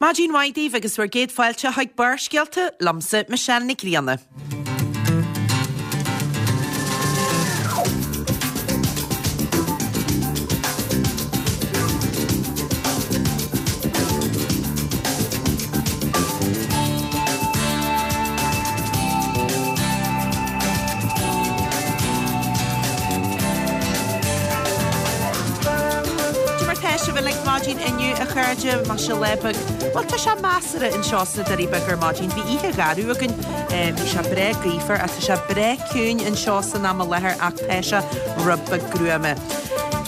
Maidin mhaith daoibh agus bhur gcéad fáilte chuig Barrscéalta liomsa, Michelle Nic Grianna. Cad é mar tá sibh uilig maidin inniu a chairde, maise lá beag, bhuel tá sé measartha anseo sna Doirí Beaga ar maidin, bhí oíche gharbh againn, bhí sé breá gaofar ach tá sé breá ciúin anseo san am i láthair ach tá sé rud beag gruama.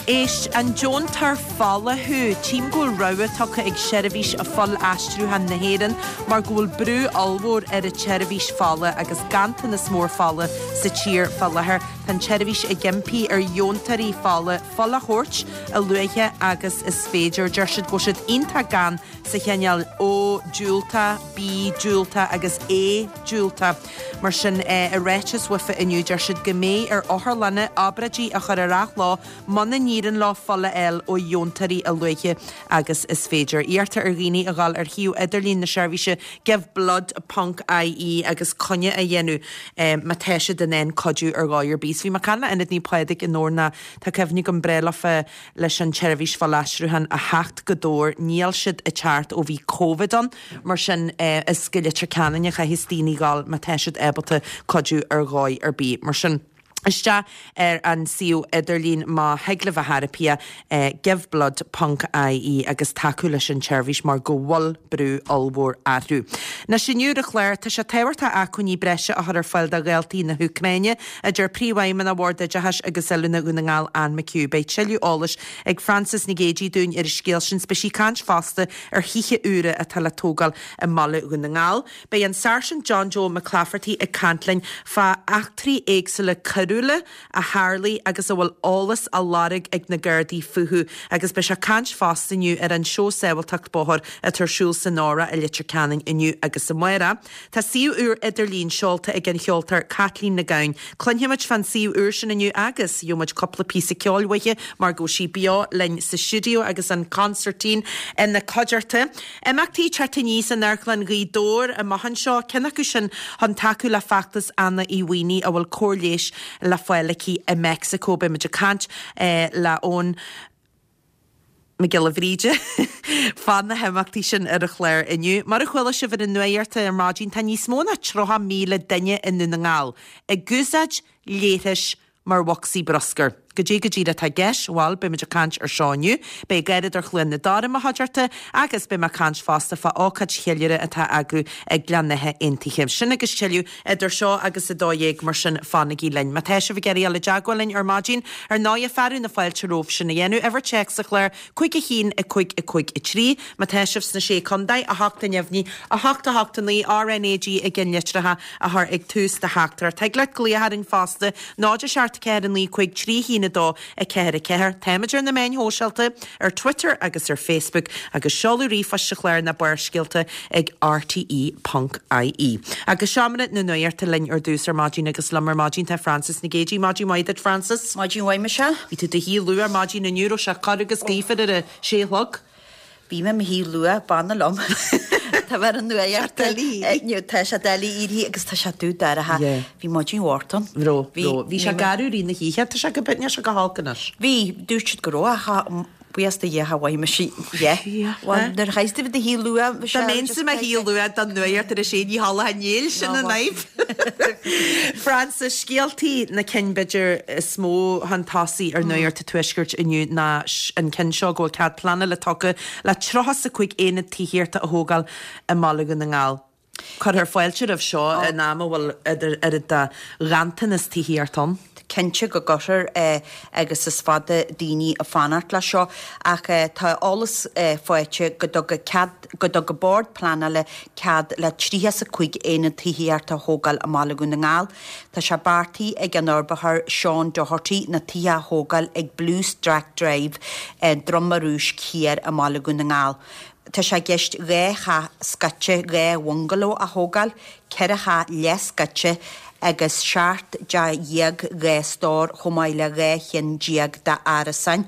Éist, an deontóir fola thú? Tchím go bhfuil rabhadh tugtha ag Seirbhís Fuil-Aistriúcháin na hÉireann mar go bhfuil brú ollmhór ar an tseirbhís fola agus ganntanas mór fola sa tír fá láthair. Tá an tseirbhís ag impí ar dheontóirí fola fuil a thabhairt a luaithe agus is féidir. Deir siad go bhfuil siad iontach gann sa chineál O diúltach, B diúltach agus A diúltach. Mar sin, i ráiteas uafa inniu, deir siad go mbeidh ar otharlanna obráidí a chur ar athló muna n-éiríonn leo fuil a fháil ó dheontóirí a luaithe agus is féidir. Iarrtar ar dhaoine a dhul ar shuíomh idirlín na seirbhíse giveblood ponc ie agus coinne a dhéanamh má tá siad in ann cuidiú ar dhóigh ar bith. Bhí mé ag caint le Ionad Naomh Pádraig i nDobhar tá cuimhne agam breá leofa leis an tseirbhís fuilaistriúcháin a theacht go Dobhar. Níl siad ag teacht ó bhí Covid ann, mar sin is go Leitir Ceanainn a chaithfeas daoine dhul má tá siad ábalta cuidiú ar dhóigh ar bith. Mar sin. Isteach ar an suíomh idirlín má thig libh a thairpía, giveblood ponc ie agus tacú leis an tseirbhís mar go bhfuil brú ollmhór orthu. Anois inniu ar an chlár, tá sé tábhachtach acmhainní breise a chur ar fáil do dhaltaí na hÚcráine, a deir Príomhfheidhmeannach Bhord Oideachais agus Oiliúna Dhún na nGall, Anne McHugh. Beidh tuilleadh eolais ag Frances Nic Géadaigh dúinn ar an scéal sin. Beidh sí ag caint fosta ar thithe úra atá le tógáil i mbaile Dhún na nGall. Beidh an Sáirsint John Joe McClafferty ag caint linn fá eachtraí éagsúla coiriúla a tharlaigh agus a bhfuil eolas á lorg ag na Gardaí fúthu agus beidh sé ag caint fosta inniu ar an seó sábháilteacht bóthair atá ar siúl san Óraigh i Leitir Ceanainn inniu agus amárach. Tá suíomh úr idirlín seolta ag an cheoltóir Caitlín Nic Gabhann. Cluinfimid fán suíomh úr sin inniu agus gheobhaimid cúpla píosa ceoil uaithi mar go bhfuil sí beo linn sa stiúideo agus an consairtín ina cuideachta. Imeachtaí teacht aníos in Amharclann Ghaoth Dobhair amach anseo, ceann acu sin chun tacú le feachtas Anna Uí Mhaonaigh a bhfuil cóir leighis le fáil aici i Meicsiceo. Beidh muid ag caint le Eoin Mac Giolla Bhríde fá na himeachtaí sin ar an chlár inniu. Mar a chuala sibh ar an nuacht ar maidin, tá níos mó ná 30,000 duine i nDún na nGall ag úsáid leithris mar bhocsaí bruscair. Goidé go díreach atá i gceist? Bhuel, beidh muid ag caint ar seo inniu. Beidh Garradóir Chluain na Dara i mo chuideachta agus beidh mé ag caint fosta fá ócáid cheiliúradh atá á eagrú ag Gleann Átha Aontaithe. Sin agus tuilleadh idir seo agus 12:00, mar sin fanaigí linn. Má tá sibh ag iarraidh dul i dteagmháil linn ar maidin, ar ndóighe, fearadh na fáilte romhaibh sin a dhéanamh. Uimhir téacs sa chlár, 5 1 5 5 3. Má tá sibh sna Sé Contae, 8 a neamhní, 8 8 9, RnaG i gceannlitreacha a chur ag tús do theachtaireacht. Thig leat glaoch orainn fosta, 0 7 4 9 5 3 1 2 4 4. Táimid ar na meáin shóisialta, ar Twitter agus ar Facebook, agus seoladh ríomhphoist sa chlár ná Barrscéalta ag rte ponc ie. Agus seomra na nuachta linn ar dtús ar maidin agus liom ar maidin tá Frances Nic Géadaigh. Maidin mhaith duit Frances. Maidin mhaith Michelle. Bhí tú i do shuí luath ar maidin inniu, raibh sé corr agus gaofar ar a sé a chlog. Bhí mé i mo shuí luath, b'annamh liom. Tá mé ar an nuacht inniu, tá sé doiligh éirí agus tá sé dubh dorcha. Bhí maidin bhocht ann. Raibh, raibh. Bhí sé garbh i rith na hoíche, tá sé go, níl sé go holc anois. Bhí, dúirt siad go raibh ach buíochas do Dhia cha bhfaighidh mise dhe. Bhuel, nuair a chaithfeas tú bheith i do shuí luath, Dá mbeinnse i mo shuí luath don nuacht ar a sé, ní chodlóinn níl, sin an fhadhb. Frances, scéaltaí na cinn b'fhéidir is mó chun tosaigh ar Nuacht an Tuaiscirt inniu ná an ceann seo go bhfuil cead pleanála tugtha le 35 aonad tithíochta a thógáil i mBaile Dhún na nGall. Cuirfear fáilte roimh seo in am a bhfuil oiread de ghanntanas tithíochta ann. Cinnte go gcuirfear agus is fada daoine ag fanacht leis seo ach tá eolas faighte go dtuga cead, go dtug an Bord Pleanála cead le 35 aonad tithíochta a thógáil i mBaile Dhún na nGall. Tá sé beartaithe ag an fhorbróir Sean Doherty na tithe a thógáil ag Blue Stack Drive, Droim an Rúisc Thiar i mBaile Dhún na nGall. Tá sé i gceist 2 theach scoite, 2 bhungaló a thógáil, 4 theach leathscoite agus 17 teach 2 stór chomh maith le 12 cheann d'árasáin.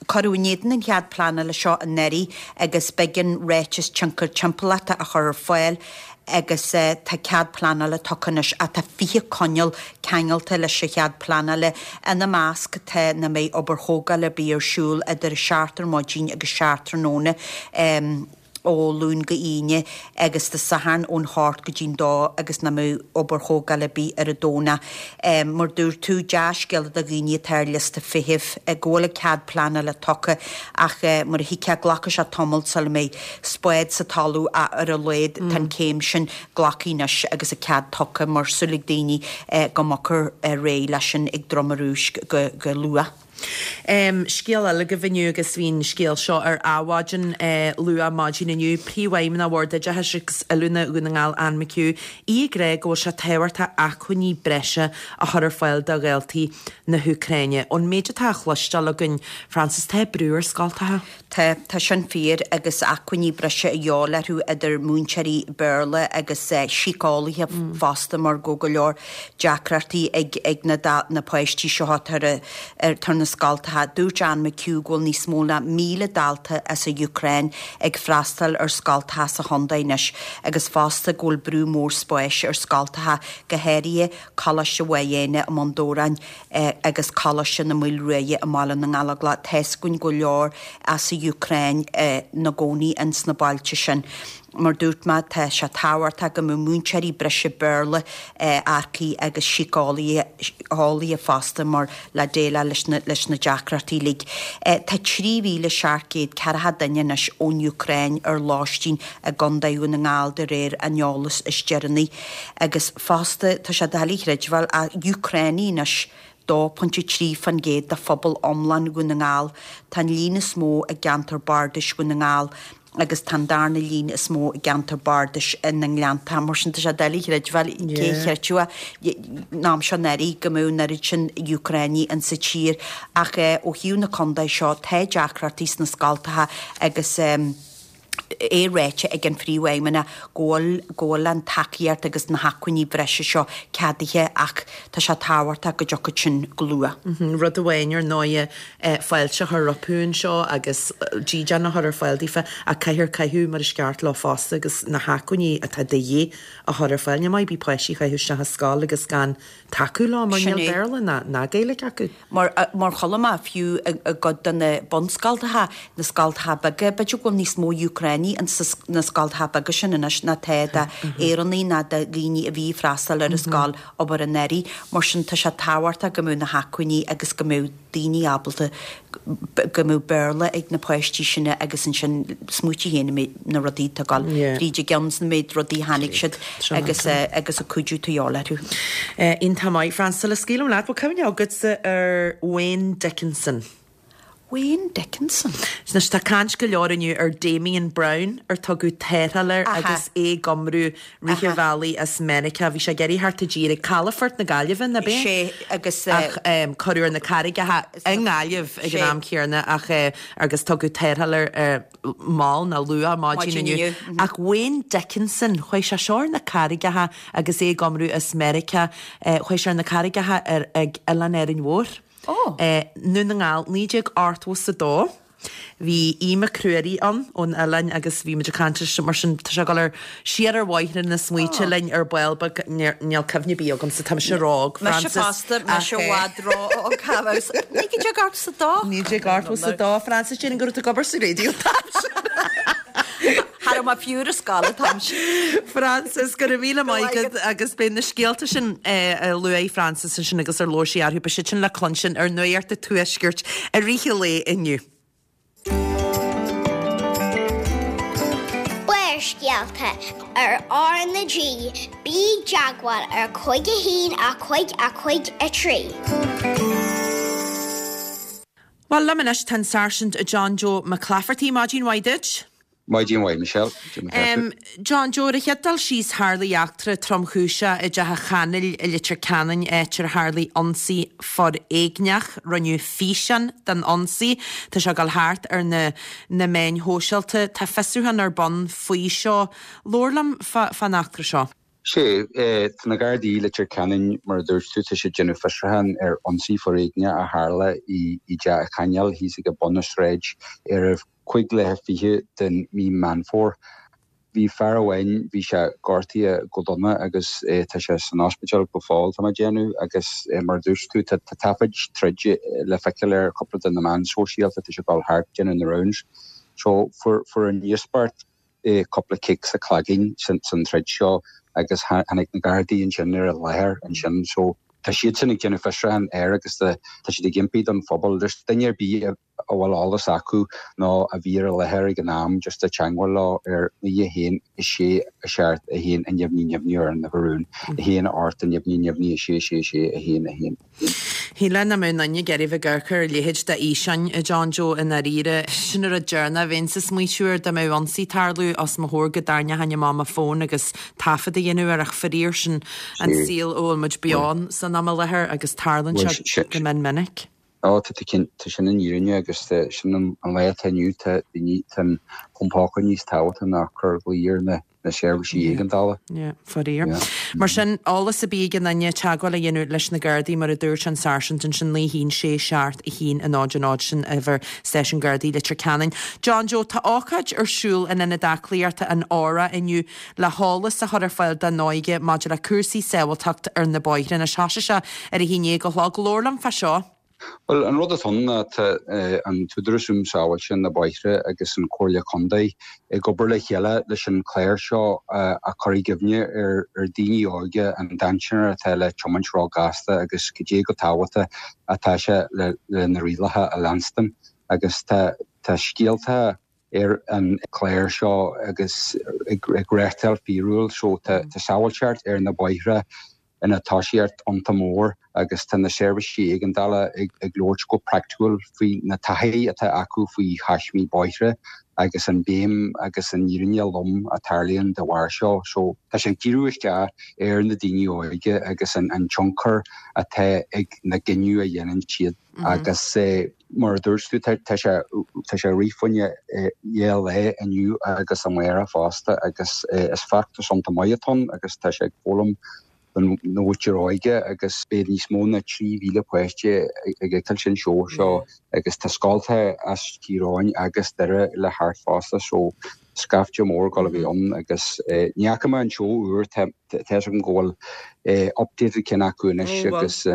Cuireadh in éadan an chead pleanála seo anuraidh agus b'éigean ráiteas tionchair timpeallachta a chur ar fáil agus tá cead pleanála tugtha anois ach tá 20 coinníoll ceangailte leis an chead pleanála. Ina measc tá nach mbeidh obair thógála ar bith ar siúl idir a seacht ar maidin agus 7 tráthnóna. ó Luan go hAoine agus Dé Sathairn ón hocht go dtí'n dó agus nach mbeadh obair thógála ar bith ar an Domhnach. Mar dúirt tú, dea-scéala do dhaoine atá ar liosta feithimh go bhfuil an cead pleanála tugtha ach mar a thuigfeá glacfaidh sé tamall sula mbeidh spád sa talamh ach ar a laghad tá an céim sin glactha anois agus an cead tugtha mar súil ag daoine go mbogfar ar aghaidh leis sin ag Drom an Rúisc go luath. Scéal eile agaibh inniu agus bhí an scéal seo ar Adhmhaidin luath maidin inniu. Príomhfheidhmeannach Bhord Oideachais agus Oiliúna Dhún na nGall Anne McHugh, í ag rá go bhfuil sé tábhachtach acmhainní breise a chur ar fáil do dhaltaí na hÚcráine. Ón méid atá á chloisteáil againn, Frances, tá brú ar scoltacha. Tá, tá sin fíor agus acmhainní breise a dhíobháil orthu idir múinteoirí Béarla agus síceolaithe fosta mar go bhfuil go leor deacrachtaí ag ag na na páistí seo atá ar ar na scoltacha. Dúirt Anne McHugh go bhfuil níos mó ná 1,000 dalta as an Úcráin ag freastal ar scoltacha sa chontae anois agus fosta go bhfuil brú mór spáis ar scoltacha, go háirithe Coláiste Mhaigh Éanna i mBun Dobhráin. agus Coláiste na Maoile Ruaidhe i mBaile na nGallóglach. Tá's againn go leor as an Úcráin 'na gcónaí ins na bailte sin. Mar dúirt mé, tá sé tábhachtach go mbeadh múinteoirí breise Béarla earcaithe agus síceolaithe fosta mar le déileáil leis na leis na deacrachtaí uilig. Tá 3,740 duine anois ón Úcráin ar lóistín i gContae Dhún na nGall de réir an eolais is deireanaí. Agus fosta, tá sé doiligh a chreidbheáil, ach Úcránaigh anois, 2.3% de phobal iomlán Dhún na nGall. Tá an líon is mó i gceantar bardais Dhún na nGall agus tá an darna líon is mó i gceantar bardais na nGleannta. Mar sin, tá sé doiligh a chreidbheáil, cé a chreidfeadh an am seo anuraidh go mbeadh an oiread sin Úcránaigh insa tír. Ach ó thaobh na contae seo, tá deacrachtaí sna scoltacha agus. é ráite ag an Phríomhfheidhmeannach go bhfuil go bhfuil an tacaíocht agus na hacmhainní breise seo ceadaithe ach tá sé tábhachtach go dtiocfadh sin go luath. Rud amháin ar ndóighe fáilte a chur rompu anseo agus dídean a chur ar fáil daofa ach caithfear caitheamh mar is ceart leo fosta agus na hacmhainní atá de dhíth a chur ar fáil. Ní maith ar bith páistí a chaitheamh isteach i scoil agus gan tacú leo mar Sin níl é. Béarla ná ná Gaeilge acu. Mar, mar chuala mé, fiú i gcuid de na bunscoltacha, na scoltacha beaga, b'fhéidir go bhfuil níos mó Úcránaigh ins na scoltacha beaga sin anois ná tá d'Éireannaigh ná de dhaoine a bhí ag freastal ar an scoil abair anuraidh. Mar sin, tá sé tábhachtach go mbeadh na hacmhainní agus go mbeadh daoine ábalta, go mbeadh Béarla ag na páistí sin agus ansin smaoitigh féin an méid, na rudaí atá ag dul fríd a gceann, an méid rudaí a tháinig siad agus agus an cuidiú atá de dhíobháil orthu. Iontach maith, Frances, scaoilim leat, bhfuil cuimhne agatsa ar Wayne Dickinson? Wayne Dickinson? Anois tá caint go leor inniu ar Damien Browne ar tugadh tarrtháil air agus é ag iomrú rith an bhealaigh as Meiriceá. Bhí sé ag iarraidh theacht i dtír ag Calafort na Gaillimhe, ná b'é? Sé agus. Ach cuireadh ar na carraigeacha i nGaillimh ag an am céanna ach agus tugadh tarrtháil air mall nó luath maidin inniu. Ach Wayne Dickinson, chuaigh sé seo ar na carraigeacha agus é ag iomrú as Meiriceá, chuaigh sé ar na carraigeacha ar ag Oileán Árainn Mhór. Ndún na nGall, 1982. Bhí Aodh Mac Ruairí ann ón oileán agus bhí muid ag caint leis mar sin tá sé ag dul ar siar ar bhóithre na smaointe linn ar ball beag níl cuimhne ar bith agamsa tá mise ró-óg Mise Frances fosta, mise i bhfad ró-óg cá bhfios. 1982. 1982 Frances déarfainn go raibh tú ag obair sa raidió an t-am sin. Cha raibh mé fiú ar an scoil an t-am sin. Frances, go raibh míle maith agat agus beidh na scéalta sin a luaigh Frances ansin agus ar labhair sí orthu, beidh siad sin le cluinstin ar Nuacht an Tuaiscirt i rith an lae inniu. Barrscéalta ar R na G, bí i dteagmháil ar 5 1 5 5 3. Bhuel, liom anois tá an Sáirsint John Joe McClafferty. Maidin mhaith duit. Maidin mhaith, Michelle. Cad é mar atá tú? John Joe, ar an chéad dul síos, tharlaigh eachtra tromchúiseach i dTeach an Chanail i Leitir Ceanainn, áit ar tharlaigh ionsaí foréigneach. Rinneadh físeán den ionsaí. Tá sé ag dul thart ar na na meáin shóisialta. Tá fiosrúchán ar bun faoi seo. Labhair liom fán eachtra seo. Sea, tá na Gardaí i Leitir Ceanainn, mar a dúirt tú, tá siad ag déanamh fiosrúchán ar ionsaí foréigneach a tharla i dTeach an Chainéil thíos ag bun na sráid ar a 25 den mí Meán Fómhair. Bhí fear amháin, bhí sé gortaithe go dona agus tá sé san ospidéal go fóill, tá mé ag déanamh, agus mar a dúirt tú, tá taifid troid le feiceáil ar chúpla de na meáin sóisialta, tá sé ag dul thart ag déanamh na rounds. So fuair an íospart cúpla cic sa cloigeann san troid seo agus tháinig na Gardaí ansin ar an láthair ansin. So tá siadsan ag déanamh fiosrúchán air agus tá siad ag impí don phobal, just duine ar bith a a bhfuil eolas acu nó a bhí ar an láthair ag an am just a teangmháil leo ar 9 1 6 7 1 neamhní neamhní ar an uimhir rúin 1 8 neamhní neamhní 6 6 6 1 1 1. Shílfeá nach mbeadh aon duine ag iarraidh bheith ag amharc ar a leithéid de fhíseáin, a John Joe, i ndáiríre. Sin an rud deireanach a bheinnse ag smaoitiú air dá mbeadh ionsaí ag tarlú os mo chomhair go dtarraingeochainn amach mo fón agus taifead a dhéanamh air ach faraor sin an saol a bhfuil muid beo ann san am i láthair agus tarlaíonn sé go mion minic. Ó, tá tú cinnte, sin an fhírinne agus sin an lá atá inniu, tá daoine, tá an fón póca níos tábhachtaí ná cur glao ar na na seirbhísí éigeandála. Yeah, faraor. Mar sin, eolas ar bith ag aon duine, teagmháil a dhéanamh leis na Gardaí, mar a dúirt an Sáirsint ansin, 9 1 6 7 1 0 0, sin uimhir Stáisiún Gardaí Leitir Ceanainn. John Joe, tá ócáid ar siúl in Ionad Aclaíochta an Aura inniu le heolas a chur ar fáil don óige maidir le cúrsaí sábháilteacht ar na bóithre. Anois thosaigh sé ar a haon dhéag a chlog. Labhair liom fá seo. Bhuel, an rud atá ann ná tá an tÚdarás um Sábháilte na Bóithre agus an Comhairle Contae ag obair le chéile leis an chlár seo a chur i gcuimhne ar daoine óga an dainséar atá le tiomáint ró-ghasta agus cad é chomh tábhachtach atá sé le na rialacha a leanstan agus tá scéalta ar an chlár seo agus ag reáchtáil fíorúil so tá sábháilteacht ar na bóithre ina tosaíocht iontach mór agus tá na seirbhísí éigeandála ag labhairt go praiticiúil faoi na taithí atá acu faoi thaismí bóithre agus an bhéim agus an fhírinne lom a tarlaíonn de bharr seo. So tá sé ag díriú isteach ar na daoine óige agus an tionchar atá ag na gcinneadh a dhéanann siad. Agus mar a dúirt tú, tá sé tá sé ag rith fá choinne dhá lá inniu agus amárach fosta agus is feachtas iontach maith atá ann agus tá sé ag foghlaim don mhuintir óige agus beidh níos mó ná 3,000 páiste ag feiceáil an seó seo agus tá scoltacha as Tír Eoghain agus Doire le theacht fosta so scaifte mór ag dul a bheith ann agus ní fhaca mé an seó úr, tá a fhios agam go bhfuil updated ceann acu anois agus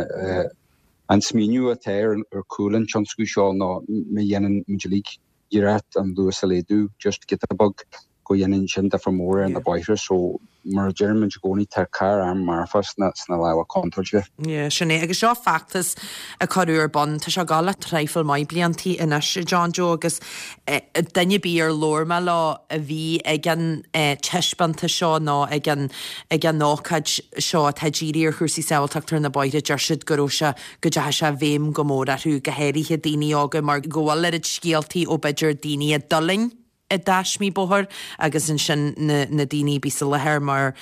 An smaoineamh atá ar chúl an tionscnamh seo ná má dhéanann muid uilig iarracht an luas a laghdú just giota beag go dhéanann sin difear mór ar na bóithre so mar a deireann muid i gcónaí tá carr arm marfach sna sna lámha contúirte. Yeah, sin é. Agus seo feachtas a cuireadh ar bun, tá sé ag dul le traidhfil maith bliantaí anois, John Joe, agus duine ar bith ar labhair mé leo a bhí ag an taispeántas seo nó ag an ag an ócáid seo atá dírithe ar chúrsaí sábháilteachta ar na bóithre, deir siad go raibh sé, go dteachaigh sé i bhfeidhm go mór orthu, go háirithe daoine óga, mar go bhfuil oiread scéaltaí ó b'fhéidir daoine a d'fhulaing i dtaismí bóthair agus ansin na na daoine a bhí sa láthair mar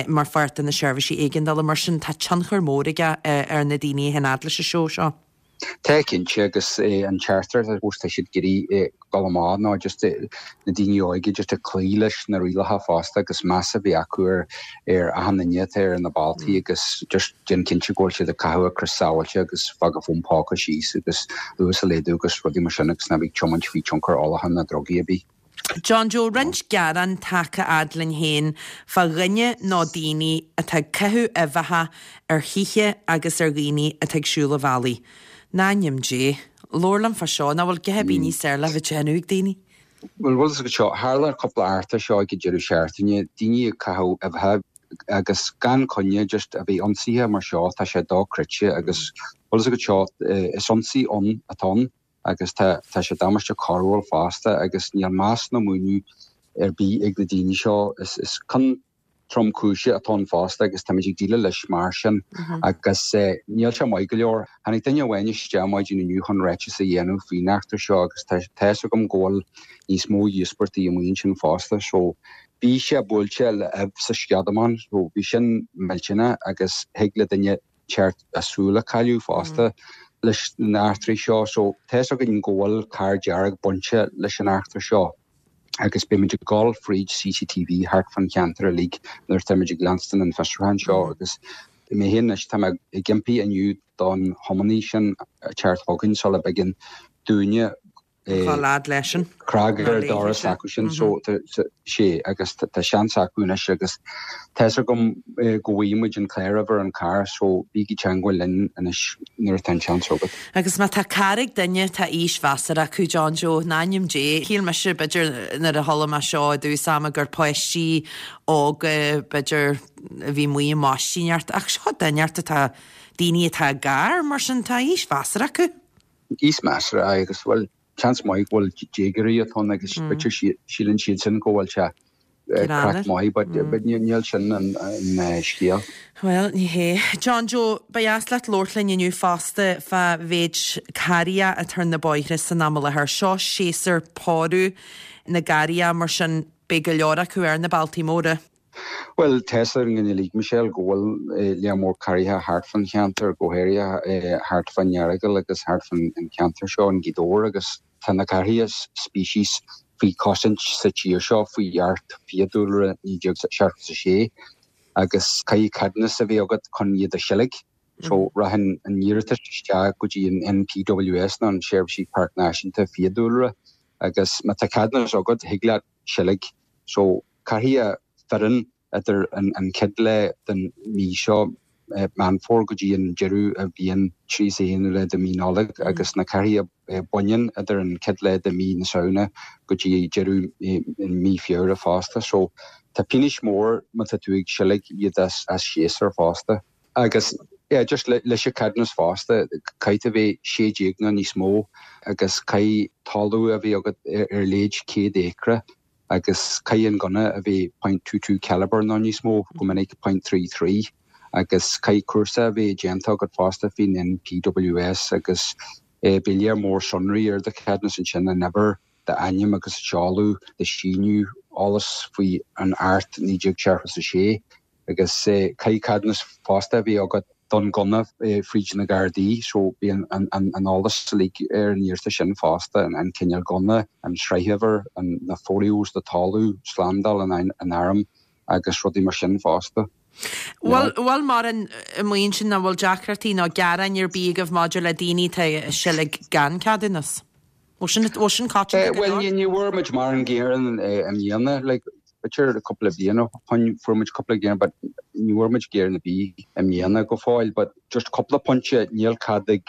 mar pháirt de na seirbhísí éigeandála. Mar sin tá tionchar mór aige ar na daoine a théann fhad leis an seó seo. Tá cinnte agus an teachtaireacht I suppose tá siad ag iarraidh dul amach ná just na daoine óige just ag cloí leis na rialacha fosta agus meas a bheith acu ar ar achan duine atá ar na bealtaí agus just déan cinnte go bhfuil siad ag caitheamh a crios sábháilte agus fág a bhfón póca síos agus luas a laghdú agus rudaí mar sin agus ná bí ag tiomáint faoi tionchar ólacháin ná drugaí ar bith. John Joe, roinnt gearán tagtha fhad linn féin fá dhuine nó daoine atá ag caitheamh uibheacha ar thithe agus ar dhaoine atá ag siúl an bhealaigh. In ainm Dé, labhair liom fá seo, nach bhfuil a dhath ar bith níos fearr le bheith ag déanamh ag daoine? Bhuel, bhfuil fhios agat seo, tharla cúpla eachtra seo ag an deireadh seachtaine, daoine ag caitheamh uibheacha agus gan coinne just a bheith ionsaithe mar seo, tá sé dochreidte agus bhfuil fhios agat seo, is ionsaí ann atá ann. agus tá tá sé damáiste coiriúil fosta agus níl meas nó múineadh ar bith ag na daoine seo. Is is cion tromchúise atá ann fosta agus táimid ag déileáil leis mar sin agus níl sé maith go leor. Tháinig duine amháin isteach maidin inniu chun ráiteas a dhéanamh faoin eachtra seo agus tá tá fhios agam go bhfuil níos mó íospartaigh amuigh ansin fosta so bhí sé buailte le ubh sa sceadamán so bhí sin millteanach agus thig le duine ceart a súil a chailleadh fosta leis na eachtraí seo. So tá fhios againn go bhfuil carr dearg bainte leis an eachtra seo. Agus beidh muid ag dul fríd CCTV thart fán cheantar uilig nuair atá muid ag leanstan an fiosrúchán seo agus mé féin anois tá mé ag impí inniu don thiománaí sin teacht chugainn sula dtigeann dúinne Dhul leis an. Cnag ar an doras acu sin so sé agus tá seans acu anois agus tá's agam go bhfaighidh muid an cláruimhir an carr so bígí teangmháil linn anois nuair atá an seans agat. Agus má tá carr ag duine tá aois mheasartha acu, John Joe, in ainm Dé. Shíl mise b'fhéidir nuair a chuala mé seo i dtús ama gur páistí óga b'fhéidir a bhí amuigh i maistíneacht ach seo duine atá, daoine atá i gcarr mar sin tá aois mheasartha acu. Aois mheasartha, aye, agus bhuel, seans maith go bhfuil déagóirí atá ann agus b'fhéidir síleann siad sin go bhfuil sé craic maith but níl sin an scéal. Bhuel, ní hé. John Joe, ba dheas leat labhairt linn inniu fosta fá mhéid carraithe atá ar na bóithre san am i láthair. Seo séasúr pórú na gcarraithe mar sin beidh go leor acu ar na bealtaí móra. Bhuel, tá's againn uilig, Michelle, go bhfuil lear mór carraithe thart fán cheantar, go háirithe thart fán Earagail agus thart fán cheantar seo in Gaoth Dobhair agus tá na carraithe species faoi chosaint sa tír seo faoi Acht Fiadhúlra 1976 agus caithfidh ceadúnas a bheith agat chun iad a sheilg. So rachaidh an iarratas isteach go dtí an NPWS nó an Seirbhísí Páirc Náisiúnta Fiadhúlra agus má tá ceadúnas agat thig leat seilg. So Caithfidh fireann idir an chéad lá den mhí seo, Meán Fómhair, go dtí an deireadh a bhíonn 31ú lá de mhí Nollag agus na carraithe baineann idir an chéad lá de mhí na Samhna go dtí deireadh mí Feabhra fosta. So tá pionóis mór má tá tú ag seilg iad as séasúr fosta. Agus yeah just leis an ceadúnas fosta caithfidh tú a bheith 16 nó níos mó agus caithfidh talamh a bheith agat ar léid 100 acra agus caithfidh an gunna a bheith .22 calibre nó níos mó, go minic .33, agus caithfidh cúrsa a bheith déanta agat fosta faoin NPWS agus beidh lear mór sonraí ar do cheadúnas ansin, an uimhir, d'ainm agus seoladh, do shíniú, eolas faoi an Acht 1976. Agus caithfidh ceadúnas fosta a bheith agat don gunna fríd na Gardaí so bíonn an eolas uilig ar an iarratas sin fosta, an cineál gunna, an sraithuimhir, na folios do talamh, slándáil an airm agus rudaí mar sin fosta. Bhfuil bhfuil mórán amuigh ansin nó bhfuil deacrachtaí nó gearáin ar bith agaibh maidir le daoine atá ag seilg gan ceadúnas? Bhfuil sin, bhfuil sin coitianta go leor? Bhuel, ní bhfuair muid mórán gearán i mbliana, like, b'fhéidir cúpla bliain ó shoin fuair muid cúpla gearán but ní bhfuair muid gearán ar bith i mbliana go fóill but just cúpla pointe, níl cead ag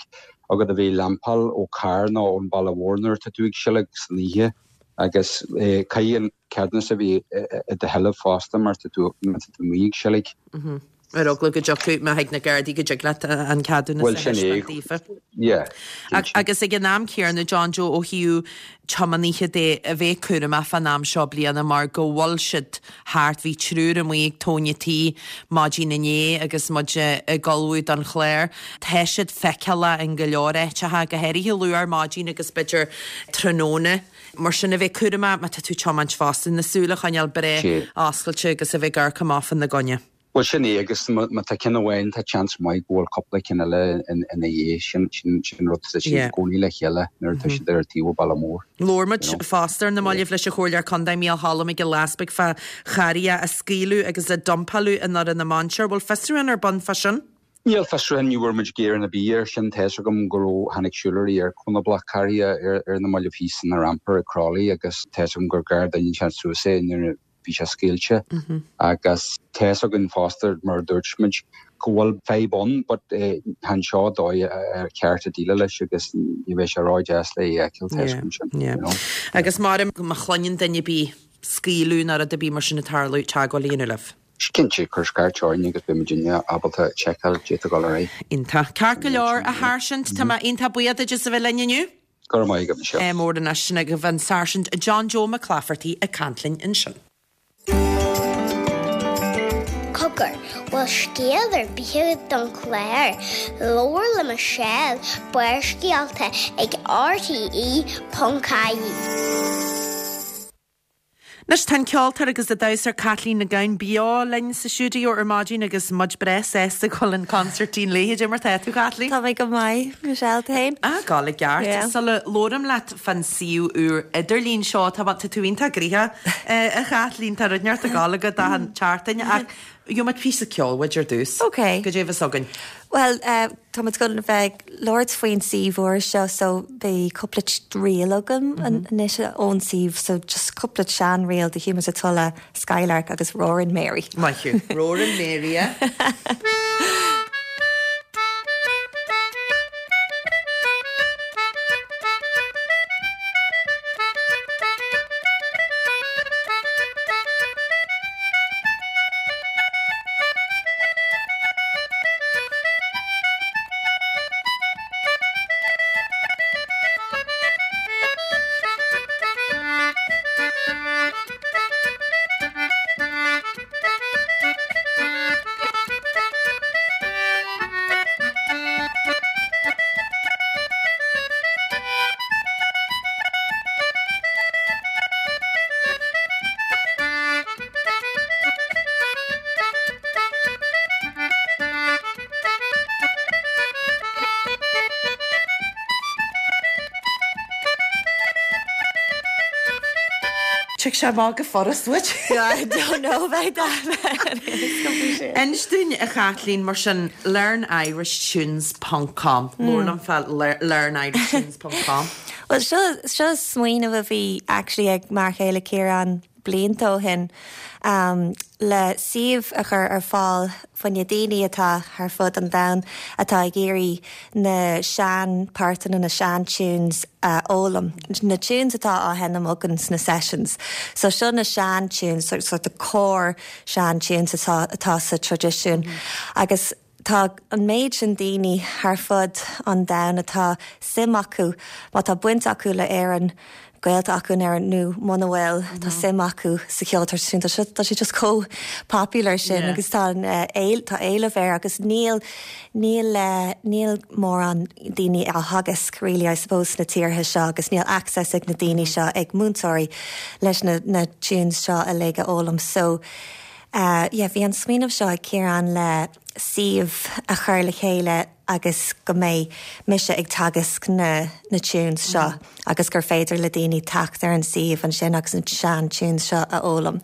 agat a bheith ag lampáil ó carr nó ón baile mhór nuair atá tú ag seilg san oíche agus caithfidh an ceadúnas a bheith i do sheilbh fosta mar tá tú má tá tú amuigh ag seilg. Ar eagla go dtiocfadh, má thig na Gardaí go dtig leat an ceadúnas a thaispeáint daofa. Yeah. Agus ag an am céanna, John Joe, ó thaobh tiománaithe de, a bheith cúramach fán am seo bliana mar go bhfuil siad thart. Bhí triúr amuigh ag tóin an tí maidin inné agus muid ag ullmhú don chlár. Tá siad feiceálach in go leor áiteacha, go háirithe luath ar maidin agus b'fhéidir tráthnóna. Mar sin, a bheith cúramach má tá tú ag tiomáint fosta, na súile a choinneáil breá oscailte agus a bheith ag amharc amach fána gcoinne. Bhuel, sin é, agus má tá ceann amháin, tá seans maith go bhfuil cúpla ceann eile ina dhiaidh. Sin, sin, sin rud, tá siad i gcónaí le chéile nuair atá siad ar taobh an bhaile mór. Labhair muid fosta ar na mallaibh leis an Chomhairleoir Contae Mícheál Choilm Mac Giolla Easpaig fá charraithe a scaoileadh agus a dumpáladh i nDoire na Mainséar. Bhfuil fiosrúchán ar bun fá sin? Níl fiosrúchán, ní bhfuair muid gearán ar bith air sin. Tá's agam go raibh, tháinig siúlóirí ar conablach carraithe ar ar na mallaibh thíos san rampar ag Crolly agus tá's agam gur ghearr duine inteacht suas é nuair a bhí sé scaoilte. Agus tá's againn fosta, mar a dúirt muid, go bhfuil fadhb ann but chan seo dóigh ar cheart a déileáil leis agus ní bheidh sé ró-deas le é a fheiceáil, tá's agam sin, you know. Agus mar má chluineann duine ar bith scaoileadh nó rud ar bith mar sin ag tarlú, teagmháil a dhéanamh libh. Cinnte, cuir scairt orainn agus beidh muidinne ábalta seiceáil caidé atá ag dul ar aghaidh. Iontach. Ceart go leor, a Sháirsint, tá mé iontach buíoch duit as a bheith linn inniu. Go raibh maith agat, Michelle. Ádh mór anois, sin agaibh an Sáirsint John Joe Mac Laifeartaigh ag caint linn ansin. Cogar, bhfuil scéal ar bith agat don chlár? Labhair le Michelle, Barrscéalta ag RTE.ie. Anois tá an ceoltóir agus an damhsóir Caitlín Nic Gabhann beo linn sa stiúideo ar maidin agus muid breá sásta ag dul an consairtín léi. Cad é mar tá tú, Caitlín? Tá mé go maith, Michelle, tú féin? Ah, ag gabháil i gceart. Yeah. Sula labhraím leat fán suíomh úr idirlín seo, tá tá tú iontach gnoitheach, a Chaitlín, tá rud inteacht ag gabháil agat achan tseachtain ach gheobhaidh muid píosa ceoil uait ar dtús. Ok. Cad é a bheas againn? Bhuel, tá muid ag dul a bheith ag labhairt faoin suíomh úr seo so beidh cúpla ríl agam anois ón suíomh so just cúpla sean-ríl de Humours of Tulla, Skylark agus Roarin' Mary. Maith thú. Roarin' Mary, eh? Tig sé amach go furast duit. I don't know about that. Inis dúinn, a Chaitlín, mar sin, learnirishtunes ponc com. Labhair liom fá learnirishtunes ponc com. Well, seo, seo smaoineamh a bhí actually ag m'fhear chéile Ciarán blianta ó shin le suíomh a chur ar fáil fá choinne daoine atá thar fud an domhain atá ag iarraidh na sean páirteanna, na sean tunes a fhoghlaim, na tunes atá á sheinm againn sna sessions. So seo na sean tunes, sort of core sean tunes atá atá sa traidisiún agus Tá an méid sin daoine thar fud an domhain atá suim acu, má tá baint acu le Éirinn, gaolta acu in Éirinn nó muna bhfuil, tá suim acu sa cheol traidisiúnta. Tá sé just chomh popular sin agus tá tá éileamh air agus níl níl níl mórán daoine á theagasc really I suppose sna tíortha seo agus níl access ag na daoine seo ag múinteoirí leis na na tunes seo uilig a fhoghlaim. So Yeah, bhí an smaoineamh seo ag Ciarán le suíomh a chur le chéile agus go mbeidh mise ag teagasc na na tunes seo agus gur féidir le daoine teacht ar an suíomh ansin agus na sean tunes seo a fhoghlaim.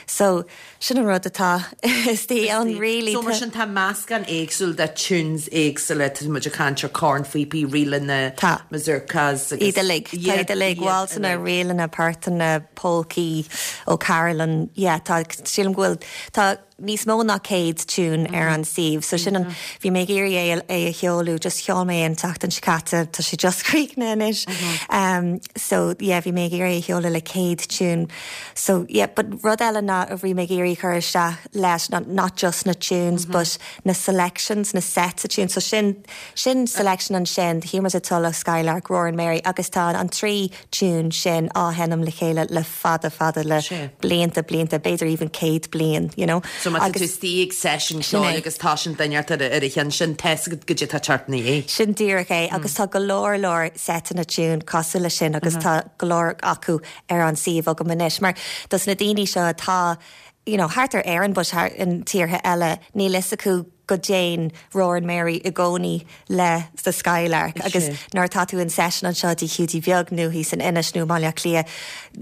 So, sin an rud atá istigh ann really. So mar sin tá meascán éagsúil de tunes éagsúla, tá muid ag caint ar cornphíopaí, ríleanna, mazurkas agus. Iad uilig, tá iad uilig, waltzeanna, ríleanna, portanna, polcaí ó carollanna, yeah, tá, sílim go bhfuil, tá níos mó ná 100 tune ar an suíomh, so sin an, bhí mé ag iarraidh é, é a sheoladh, just sheol mé é an tseachtain seo caite, tá sé just críochnaithe anois, um, so yeah, bhí mé ag iarraidh é a sheoladh le 100 tune, so yeah, but rud eile ná a bhí mé ag iarraidh cur isteach leis ná not just na tunes, but na selections, na sets of tunes, so sin, sin selection ansin, The Humours of Tulla, Skylark, Roarin' Mary, agus tá an trí tune sin á sheinm le chéile le fada fada le blianta blianta, b'fhéidir even 100 bliain, you know. So má tá tú istigh ag seisiún ceoil agus tá sin duine ort ar a cheann sin, tá 'fhios agat goidé tá teacht ina dhiaidh. Sin díreach é agus tá go leor leor seiteanna tune cosúil leis sin agus tá go leor acu ar an suíomh agam anois mar dos na daoine seo atá you know thart ar Éirinn but thar in tíortha eile níl fhios acu go dtéann Roarin' Mary i gcónaí le The Skylark agus nuair atá tú in session anseo i dTigh Hiúdaí Beag nó thíos in Inis nó i mBaile Átha Cliath,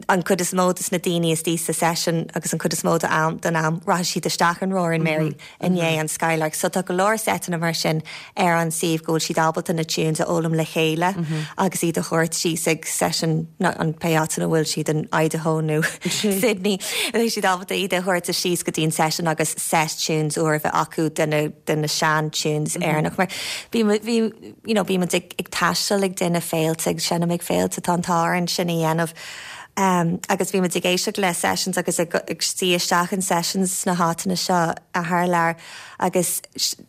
an chuid is mó de na daoine istigh sa session agus an chuid is mó de am, den am, rachaidh siad isteach in Roarin' Mary i ndiaidh an Skylark. So tá go leor seiteanna mar sin ar an suíomh go bhfuil siad ábalta na tunes a fhoghlaim le chéile agus iad a thabhairt síos ag session an pé áit ina bhfuil siad in Idaho nó Sydney, beidh siad ábalta iad a thabhairt síos go dtí an session agus set tunes úr a bheith acu de na de na sean tunes Éireannach mar bhí bhí you know bíonn muid ag ag taisteal ag déanamh féilte ag seinm ag féilte tá an t-ádh orainn sin a dhéanamh um, agus bhí muid ag éisteacht le sessions agus ag ag suí isteach in sessions sna háiteanna seo a thar lear agus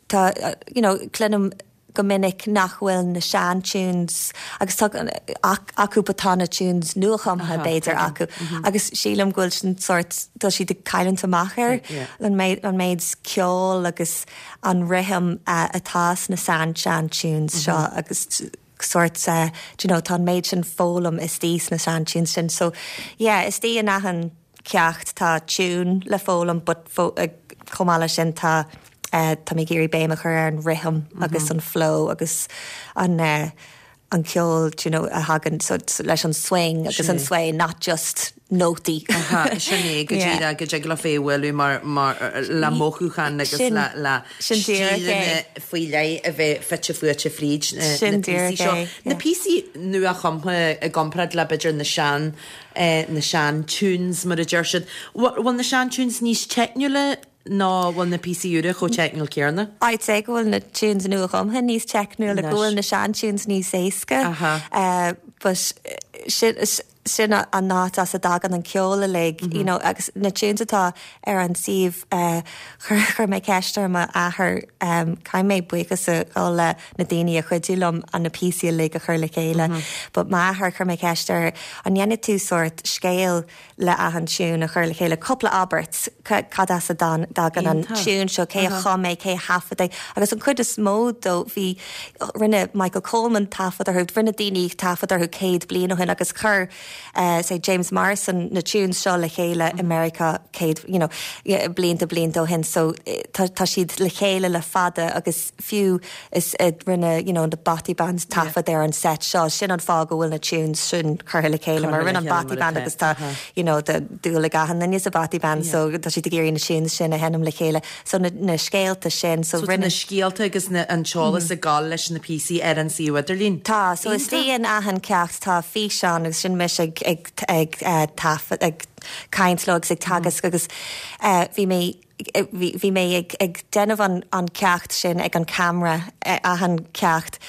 tá you know cluinim go minic nach bhfuil na sean tunes agus tá acu but tá na tunes nuachumtha b'fhéidir acu agus sílim go bhfuil sin sórt tá siad ag cailliúint amach ar an méid an méid ceoil agus an rithim atá sna sean sean tunes seo agus sórt do you know tá an méid sin foghlaim istigh sna sean tunes sin so yeah istigh in achan. ceacht tá tune le foghlaim but chomh maith leis sin tá tá mé ag iarraidh béim a chur ar an rithim agus an flow agus an an ceol do you know a thagann so leis an swing agus an sway not just nótaí. Aha, sin é, go díreach, go dtig leo é a bhualadh mar, mar, le mothúchán agus le, le stíleanna faoi leith a bheith fite fuaite fríd na píosaí seo. Na píosaí nua-chumtha i gcomparáid le b'fhéidir na sean, na sean tunes mar a deir siad. Bhfuil na sean tunes níos teicniúla nó bhfuil na píosaí úra chomh teicniúil céanna? I'd say go bhfuil na tunes nua-chumtha níos teicniúla, go bhfuil na sean tunes níos éasca. But sin, sin an áit as a dtagann an ceol uilig, you know, agus na tunes atá ar an suíomh, chuir, chuir mé ceist ar m'athair, caithfidh mé buíochas a ghabháil le na daoine a chuidigh liom an na píosaí uilig a chur le chéile. But m'athair, chuir mé ceist air, an ndéanfaidh tú sórt scéal le achan tiún a chur le chéile, cúpla abairt, cad as a dtagann an tiún seo, cé a chum é, cé a thaifead é, agus an chuid is mó dó, bhí, rinne Michael Coleman taifead orthu, rinne daoine taifead orthu 100 bliain ó shin agus chuir, say, James Morrison na tunes seo le chéile i Meiriceá 100, you know, blianta blianta ó shin, so tá tá siad le chéile le fada agus fiú is rinne you know the Bothy Band taifead ar an set seo, sin an fáth go bhfuil na tunes sin curtha le chéile mar rinne an Bothy Band agus tá you know tá dúil ag achan duine sa Bothy Band so tá siad ag iarraidh na tunes sin a sheinm le chéile so na na scéalta sin so rinne. So tá na scéalta agus na an t-eolas ag gabháil leis na píosaí ar an suíomh idirlín. Tá, so istigh in achan ceacht tá físeán agus sin mise ag ag ag taifead ag caint leo agus ag teagasc agus bhí mé bhí mé ag déanamh an ceacht sin ag an camera, achan ceacht,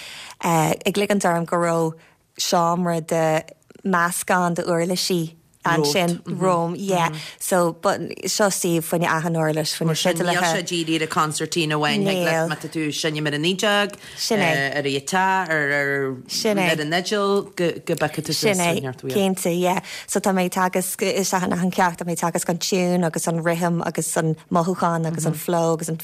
ag ligint orm go raibh seomra de meascán de uirlisí ansin romham, yeah. So, but seo suíomh fá choinne achan uirlis, fá choinne fidléirí. Níl sé dírithe ar an concertina amháin, thig leat má tá tú ag seinm ar an fhídeog, Sin é. ar an ghiotár, ar Sin é. ar an fhidil, go go bhfeicfidh tú Sin é, cinnte, yeah. So tá mé ag teagasc, isteach in achan ceacht, tá mé ag teagasc an tune agus an rithim agus an mothúchán agus an flow agus an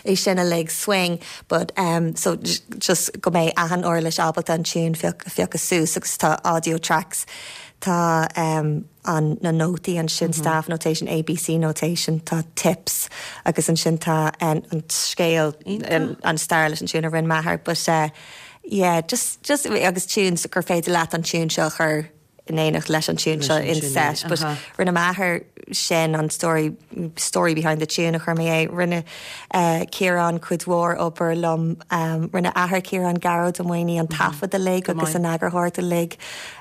é sin uilig, swing, but um so just go mbeidh achan uirlis ábalta an tune phioc phiocadh suas agus tá audio tracks, tá um an na nótaí ansin, staff notation, ABC notation, tá tips agus ansin tá an scéal, an stair leis an tune a rinne m'athair but eh yeah just just agus tunes gur féidir leat an tune seo a chur in éineacht leis an tune seo in set but rinne m'athair sin an story story behind the tune a chuir mé é rinne eh Ciarán cuid mhór obair liom rinne athair Ciarán Gearóid Ó Maonaigh an taifead uilig agus an eagarthóireacht uilig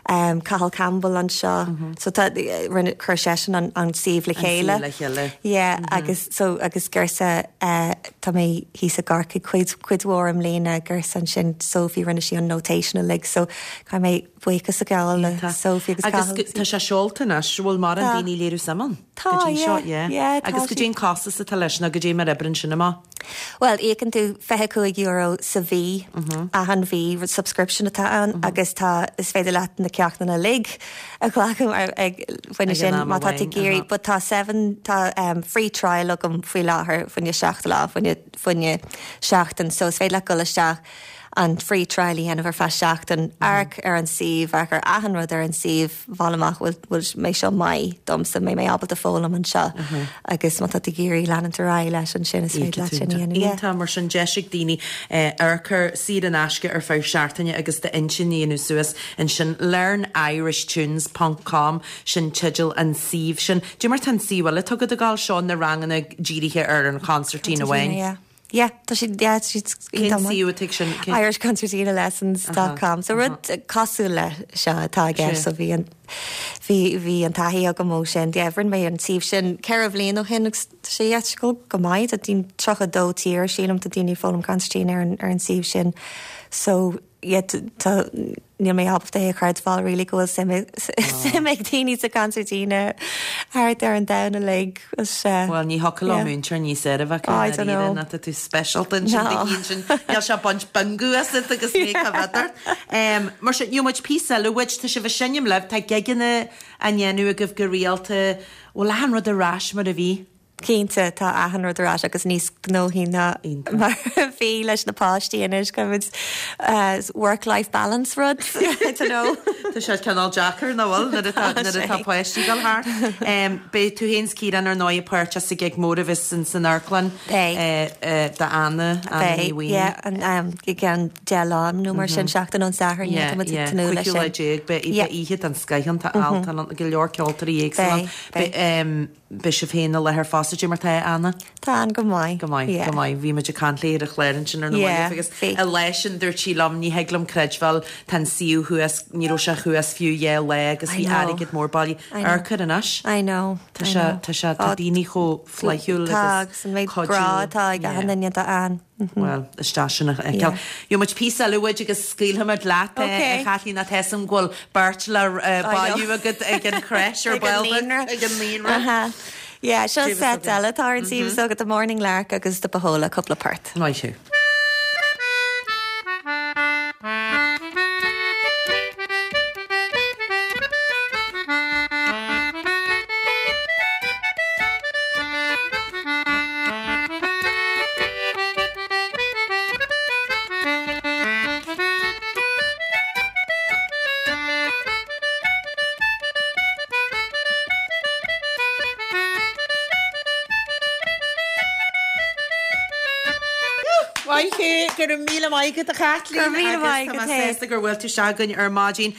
Cathal Campbell anseo. So tá, rinne, chuir seisean an, an suíomh le chéile. An suíomh le chéile. Yeah, agus so, agus Girsa, tá mé thíos i gCorcaigh cuid, cuid mhór i mbliana, Girsa ansin, Sophie, rinne sí an notation uilig, so caithfidh mé buíochas a ghabháil le Sophie agus Cathal. Agus tá sé seolta anois, bhfuil mórán daoine ag léiriú suim ann? Tá, yeah, yeah, tá Agus goidé an costas atá leis nó goidé mar a oibríonn sin amach? Bhuel, íocann tú €25 sa mhí, achan mhí, subscription atá ann agus tá, is féidir leat na ceachtanna uilig a ghlacadh mar ag, fá choinne sin má tá tú ag iarraidh, but tá seven, tá free trial agam faoi láthair fá choinne seacht lá, fá choinne, fá choinne seachtain, so is féidir leat dul isteach an free trial a dhéanamh ar feadh seachtain, amharc ar an suíomh, amharc ar achan rud ar an suíomh, fáil amach bhfuil bhfuil mbeidh seo maith domsa, mbeidh mé ábalta foghlaim anseo agus má tá tú ag iarraidh leanúint ar aghaidh leis ansin is féidir leat sin a dhéanamh. Yeah. Iontach, mar sin deis ag daoine amharc air saor in aisce ar feadh seachtaine agus d'intinn a dhéanamh suas ansin. LearnIrishTunes ponc com sin teideal an suímh sin. Dé mar tá an suíomh eile atá agat ag gabháil seo na ranganna dírithe ar an chonsairtín amháin. Yeah. Yeah, tá siad, yeah, tá siad Cén suíomh atá ag sin? Cén- irishconcertinalessons dot com. So rud cosúil le seo atá i gceist. So bhí an, bhí, bhí an taithí agam ó sin. Yeah, rinne mé an suíomh sin ceithre bhliain ó shin agus tá sé, yeah, tá sé ag dul go maith. Tá daoine, 32 tír, sílim, tá daoine ag foghlaim consairtín ar an, ar an suíomh sin. So yeah, tá, níl mé ábalta é a chreidbheáil really go bhfuil suim suim ag daoine sa concertina thart ar an domhan uilig. Bhuel, ní thiocfadh leo múinteoir níos fearr a bheith acu I don't know. ná tá tú speisialta ansin do chinn sin. Níl sé ag baint bingo asat agus mé cá bhfios ort. Mar sin, gheobhaidh muid píosa eile uait, tá sibh ag seinm libh, tá gigeanna á ndéanamh agaibh go rialta, bhfuil achan rud ar ais mar a bhí? Cinnte, tá achan rud ar ais agus níos gnóthaí ná mar a bhí leis na páistí anois, caithfimid work-life balance rud, I don't know. Tá sé cineál deacair, nach bhfuil, nuair atá, nuair atá páistí ag dul thart. Beidh tú féin 's Ciarán ar ndóigh páirteach sa gig mór a bheas san san amharclann d'Anna, Anna Ní Beidh, yeah, i gceann 10 lá nó mar sin, seachtain ón Satharn, yeah, tá muid ag tnúth leis sin. 15ú lá, beidh oíche den scoith ann, tá Altan ann, go leor ceoltóirí éagsúla ann. Beidh. Beidh sibh féin i láthair fosta, cad é mar tá Anna? Tá Ann go maith. Go maith, go maith. Bhí muid ag caint léi ar an chlár ansin ar na mallaibh agus an lá sin dúirt sí liom, ní thig liom creidbheáil, tá an suíomh thuas, ní raibh sé thuas fiú dhá lá agus bhí airgead mór bailithe. Amharc air anois. I know. Tá sé, tá sé, tá daoine chomh flaithiúil agus Tá, agus an méid grá atá ag achan duine d'Ann. Bhuel, is deas sin a fheiceáil. Gheobhaidh muid píosa eile uait agus scaoilfimid leat é, a Chaitlín, ach tá 'fhios a'm go bhfuil beirt le bailiú agat ag an crèche ar ball beag, ag an naíonra. Yeah, seo set eile atá ar an suíomh s'agat, The Morning Lark agus The Bohola, cúpla port. Maith thú. Maith thú, go raibh míle maith agat a Chaitlín. Go raibh míle maith agat. Agus tá mé sásta gur bhuail tú isteach chugainn ar maidin.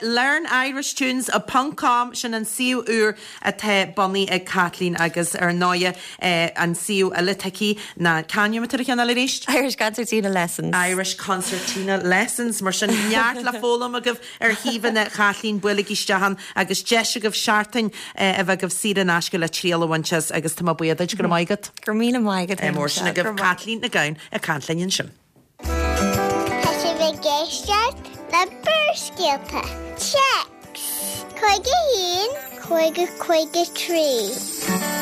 LearnIrishTunes ponc com, sin an suíomh úr atá bunaithe ag Caitlín agus ar ndóighe an suíomh eile atá aici ná c'ainm atá ar an cheann eile arís? Irish Concertina Lessons. Irish Concertina Lessons. Mar sin neart le foghlaim agaibh ar shuíomhanna Chaitlín, buailigí isteach ann agus deis agaibh seachtain a bheith agaibh saor in aisce le triail a bhaint as agus tá mé buíoch duit, go raibh maith agat. Go raibh míle maith agat. Mór sin agaibh Caitlín Nic Gabhann ag caint linn ansin. Tá sibh ag éisteacht le Barrscéalta. Téacs 51 50 53.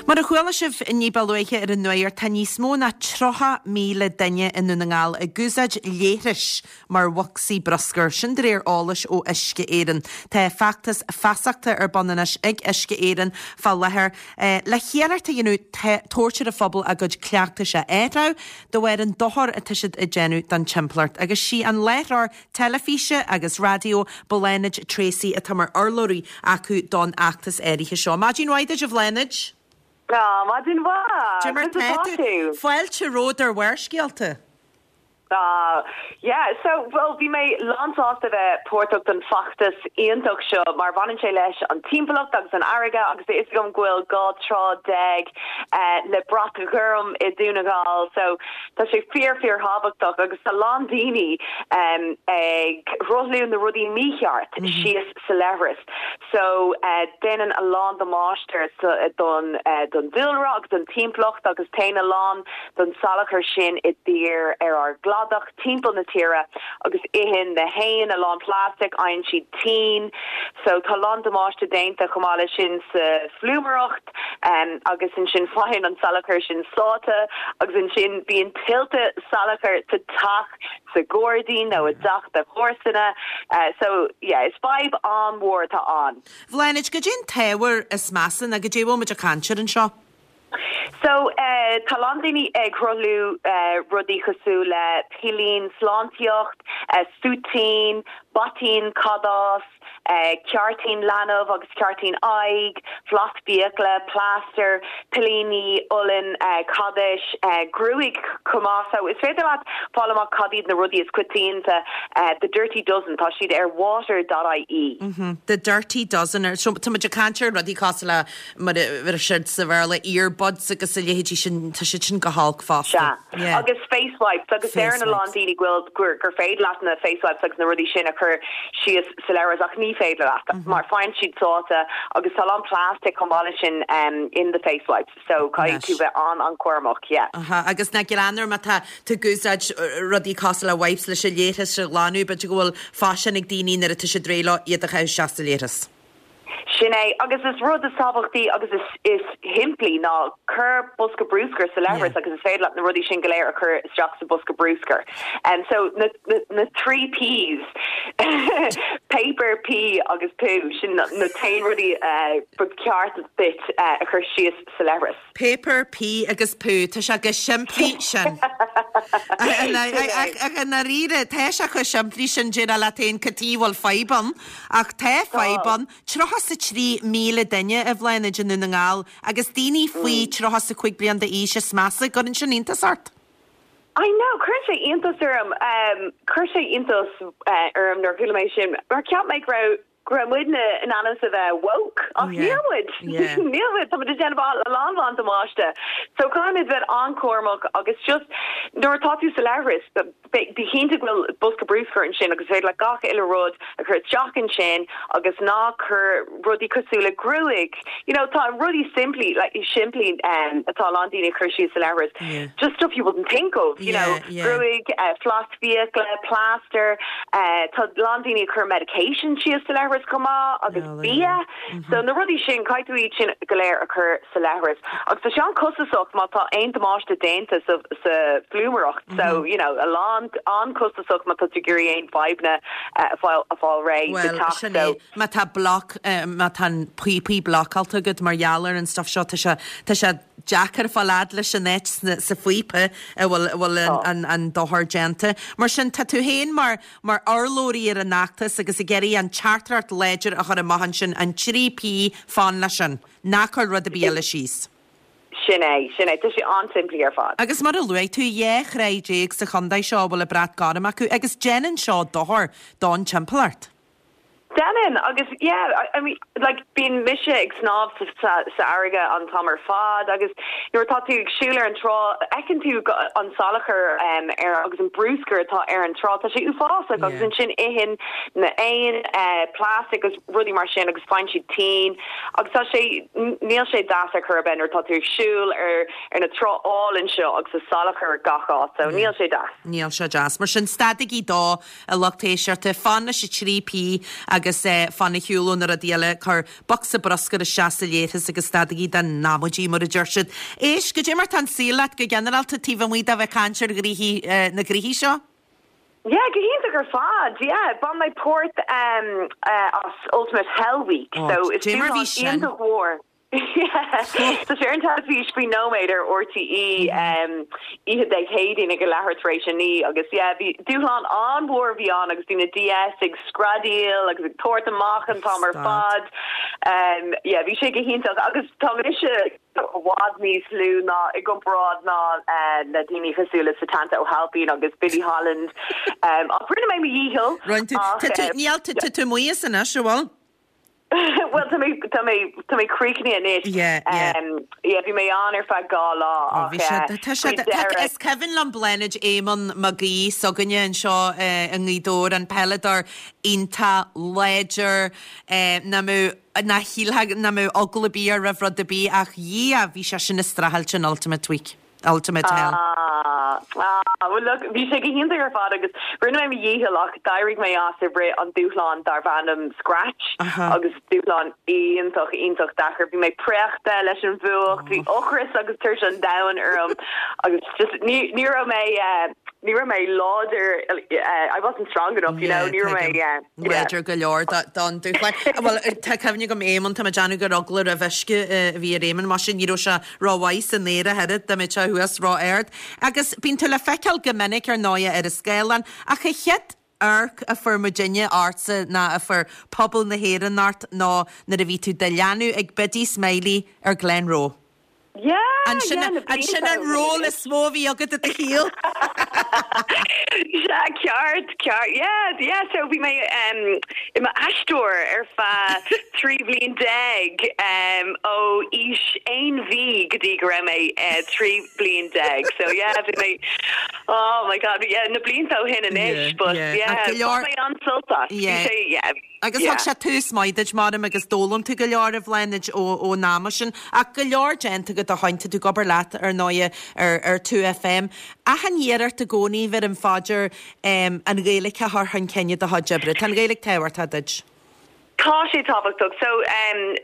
Mar a chuala sibh ní ba luaithe ar an nuacht, tá níos mó ná 30,000 duine i nDún na nGall ag úsáid leithris mar bhocsaí bruscair, sin de réir eolais ó Uisce Éireann. Tá feachtas feasachta ar bun anois ag Uisce Éireann fá láthair le hiarracht a dhéanamh tabhairt ar an phobal a gcuid cleachtais a athrú de bharr an dochar atá siad ag déanamh don timpeallacht. Agus sí an láithreoir teilifíse agus raidió Bláthnaid Treacy atá mar urlabhraí acu don fheachtas áirithe seo. Maidin mhaith duit a Bhláthnaid! Maidin mhaith! Cad é mar tá tú? Fáilte romhat ar Bharrscéalta! Ah, yeah, so, bhuel, bhí mé lánsásta bheith páirteach den feachtas iontach seo mar bhaineann sé leis an timpeallacht agus an fharraige agus tá fhios agam go bhfuil 12 trá le brat ghorm i Dún na nGall so tá sé fíor fíor thábhachtach agus tá lán daoine ag sruthlú na rudaí mícheart síos sa leithreas so déanann a lán damáiste don don dúlra agus don timpeallacht agus téann a lán den salachar sin i dtír ar ár gcladach timpeall na tíre agus itheann na héin a lán plastic, fhaigheann siad tinn so tá a lán damáiste déanta chomh maith leis sin sa phlúmaireacht agus ansin faigheann an salachar sin sáite agus ansin bíonn tuilte salachair sa teach sa ghairdín nó i dteach do chomharsana so yeah is fadhb an-mhór atá ann. Bhláthnaid, goidé an t-ábhar is measa nó goidé a bhfuil muid ag caint air anseo? So, tá a lán daoine ag sruthlú rudaí cosúil le pillín sláintíocht, súitín, baitín cadás, ceártaín leanbh agus ceártaín aghaidh, bhlas fiacla, plaster, pillíní olann cadais, gruaig chomh maith. So, is féidir leat fáil amach cad iad na rudaí is coitianta, The Dirty Dozen, tá siad ar water dot ie. The Dirty Dozen, so tá muid ag caint ar rudaí cosúil le mar a deir siad sa Bhéarla, earbuds agus a leithéidí sin, tá siad sin go holc fosta. Sea. Yeah. Agus face wipes, agus deireann a lán daoine go bhfuil, gur, gur féidir leat na face wipes agus na rudaí sin a chur síos sa leithreas ach ní féidir leat, mar faigheann siad sáite agus tá a lán plastic chomh maith leis sin um, in the face wipes, so caithfidh tú bheith an-an-chúramach, yeah. Aha, agus ná greann ar má tá tú ag úsáid rudaí cosúil le wipes leis an leithreas a ghlanadh, b'fhéidir go bhfuil faisean ag daoine nuair atá siad réidh leo iad a chaitheamh isteach sa leithreas. Sin é, agus is rud is tábhachtaí agus is is shimplí ná cuir bosca brúscair sa leithreas agus is féidir leat na rudaí sin go léir a chur isteach sa bosca brúscair. Um, so na, na, na 3 Ps, paper, pee agus poo, sin na, na t-aon rudaí uh, ba cheart duit uh, a chur síos sa leithreas. Paper, pee agus poo, tá sé chomh simplí sin. Ach i ndáiríre, tá sé chomh simplí sin, déarfá leat féin cad chuige a bhfuil fadhb ann. Ach tá fadhb ann. 33,000 duine, a Bhláthnaid, i nDún na nGall agus daoine faoi 35 bliain d'aois is measa. Cuireann sin iontas ort? I know, cuireann sé iontas orm. Chuir sé iontas orm nuair a chuala mé sin mar cheap mé go raibh go raibh muidne in ainm is a bheith woke ach níl muid. Níl muid. Tá muid ag déanamh a lán lán damáiste. So caithfimid bheith an-chúramach agus just nuair atá tú sa leithreas, bí cinnte go bhfuil bosca brúscair ansin agus is féidir leat gach uile rud a chur isteach ansin agus ná cuir rudaí cosúil le gruaig, you know, tá rudaí simplí, like, simplí um, atá a lán daoine ag cur síos sa leithreas. Just stuff you wouldn't think of, you know, gruaig, uh, flas fiacla, plaster, uh, tá a lán daoine ag cur medication síos sa leithreas chomh maith agus bia. So na rudaí sin, caithfidh tú iad sin go léir a chur sa leithreas. Agus tá sé an-chostasach má tá aon damáiste déanta sa, sa phlúmaireacht. So, you know, a lán an-chostasach má tá tú ag iarraidh aon fadhbanna uh, a fáil, a fáil réidh sa Well, teach. sin é. Má tá bloc, má tá an píopaí blocáilte agat mar gheall ar an stuff seo, tá sé, tá sé deacair fáil fhad leis an áit sna, sa phíopa a bhfuil, a bhfuil an, an, an dochar déanta. Mar sin, tá tú féin mar, mar urlabhraí ar an fheachtas agus ag iarraidh an teachtaireacht láidir a chur amach ansin, an 3 P, fan leis sin. Ná cuir rud ar bith eile síos. Sin é, sin é. Tá sé an-simplí ar fad. Agus mar a luaigh tú, 12 thráigh sa chontae seo a bhfuil an brat gorm acu agus déanann seo dochar don timpeallacht. Déanann, agus yeah, I mean, like, bíonn mise ag snámh sa, sa, sa fharraige an t-am ar fad agus nuair atá tú ag siúl ar an trá, fheiceann tú an salachar um, ar agus an brúscar atá ar an trá, tá sé uafásach agus ansin itheann na éin uh, plastic agus rudaí mar sin agus faigheann siad tinn agus tá sé, níl sé deas ar chor ar bith nuair atá tú ag siúl ar, ar na trá álainn seo agus tá salachar gach áit, so níl sé deas. Níl sé deas. Mar sin, stadaigí dó. A lucht éisteachta, fan leis an 3 P agus fan ar shiúl ó na rudaí eile, cuir bocsa bruscair isteach sa leithreas agus stadaigí den amaidí, mar a deir siad. Éist, goidé mar tá an saol leat go ginearálta taobh amuigh de bheith ag caint ar ghnoithí, na gnoithí seo? Yeah, go hiontach ar fad, yeah. Bhain mé páirt as Ultimate Hell Week, so is Dé mar bhí dúshlán sin. iontach mhór. Tá sé ar an teilifís faoi nóiméad ar RTÉ oíche Dé Céadaoin ag a leathuair tar éis a 9 agus yeah bhí dúshlán an-mhór a bhí ann agus bhí na DS ag screadaíl agus ag tabhairt amach an t-am ar fad. Yeah bhí sé go hiontach agus tá mise i bhfad níos lú ná i gcomparáid ná le daoine cosúil le Setanta Ó hAilpín agus Billy Holland. Ach rinne mé mo dhícheall. Rinne tú, tá tú, níl, tá tú amuigh as anois, an bhfuil? Bhuel, tá mé, tá mé, tá mé críochnaithe anois. Yeah, yeah. Yeah, bhí mé ann ar feadh 2 lá Oh, ach bhí sé, tá sé, faoi tá, dheireadh. is cuimhin liom Bláthnaid Éamonn Mac Aoidh s'againne anseo i nGaoth Dobhair, an peileadóir iontach láidir, nach mbeadh, nach shílfeá nach mbeadh eagla ar bith air roimh rud ar bith ach Dhia, bhí sé sin ag streachailt in Ultimate Week. Ultimate Hell. Ah, ah, well look, bhí sé go hiontach ar fad agus rinne mé mo dhícheall ach d'éirigh mé as i rith an dúshlán darbh ainm Scratch agus dúshlán iontach, iontach deacair. Bhí mé préachta leis an bhfuacht, bhí ocras agus tuirse an domhain orm agus just ní, ní raibh mé, eh, ní raibh mé láidir, eh, I wasn't strong enough, you know, ní raibh mé, yeah. Láidir go leor don dúshlán. Bhuel, tá cuimhne agam Éamonn, tá mé ag déanamh gur eagla roimh uisce a bhí ar Éamonn, mar sin ní raibh sé rómhaith san aer ach oiread, dá mbeadh sé thuas ró-ard. Agus bíonn tú le feiceáil go minic ar ndóighe ar an scáileán, ach an chéad amharc a fuair muidinne ortsa ná a fuair pobal na hÉireann ort ná nuair a bhí tú do leanadh ag Biddy Smiley ar Glenroe. Yeah, An sin yeah, na an sin blianta an ó shin ról anois. is mó a bhí agat i do shaol? Sea, ceart, ceart, yeah, yeah, so bhí mé um, i m'aisteoir ar feadh 13 bhliain um, ó aois aon mhí go dtí go raibh mé uh, 13 bliain. So yeah, bhí mé, oh my God, yeah, na blianta ó shin anois, Yeah, but yeah. yeah, Ach go leor- bhain mé an-sult as. Bhí Yeah. sé, yeah. Agus thug sé tús maith duit, measaim, agus d'fhoghlaim tú go leor, a Bhláthnaid, ón am sin. Ach go leor déanta agat ó shoin, tá tú ag obair leat, ar ndóighe, ar ar 2FM. Achan iarracht i gcónaí, bheirim fá dear, an Ghaeilge a chur chun cinn i do chuid oibre. Tá an Ghaeilge tábhachtach duit. Tá sé tábhachtach. So,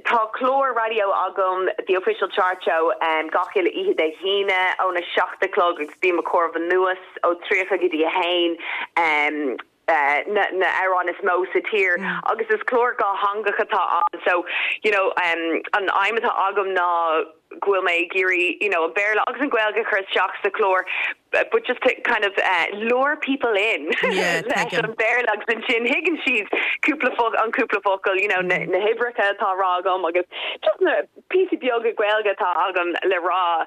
tá clár raidió agam, The Official Chart Show, gach uile oíche Dé hAoine óna 7 a chlog agus bím ag comhaireamh anuas ó 30 go dtí 1 na na amhráin is mó sa tír agus is clár dhátheangach atá ann. So, you know, an aidhm atá agam ná go bhfuil mé ag iarraidh you know an Béarla agus an Ghaeilge a chur isteach sa chlár but just to kind of lure people in leis an Bhéarla agus ansin thuigeann siad cúpla focal an cúpla focal you know na na huimhreacha atá á rá agam agus just na píosaí beaga Gaeilge atá agam le rá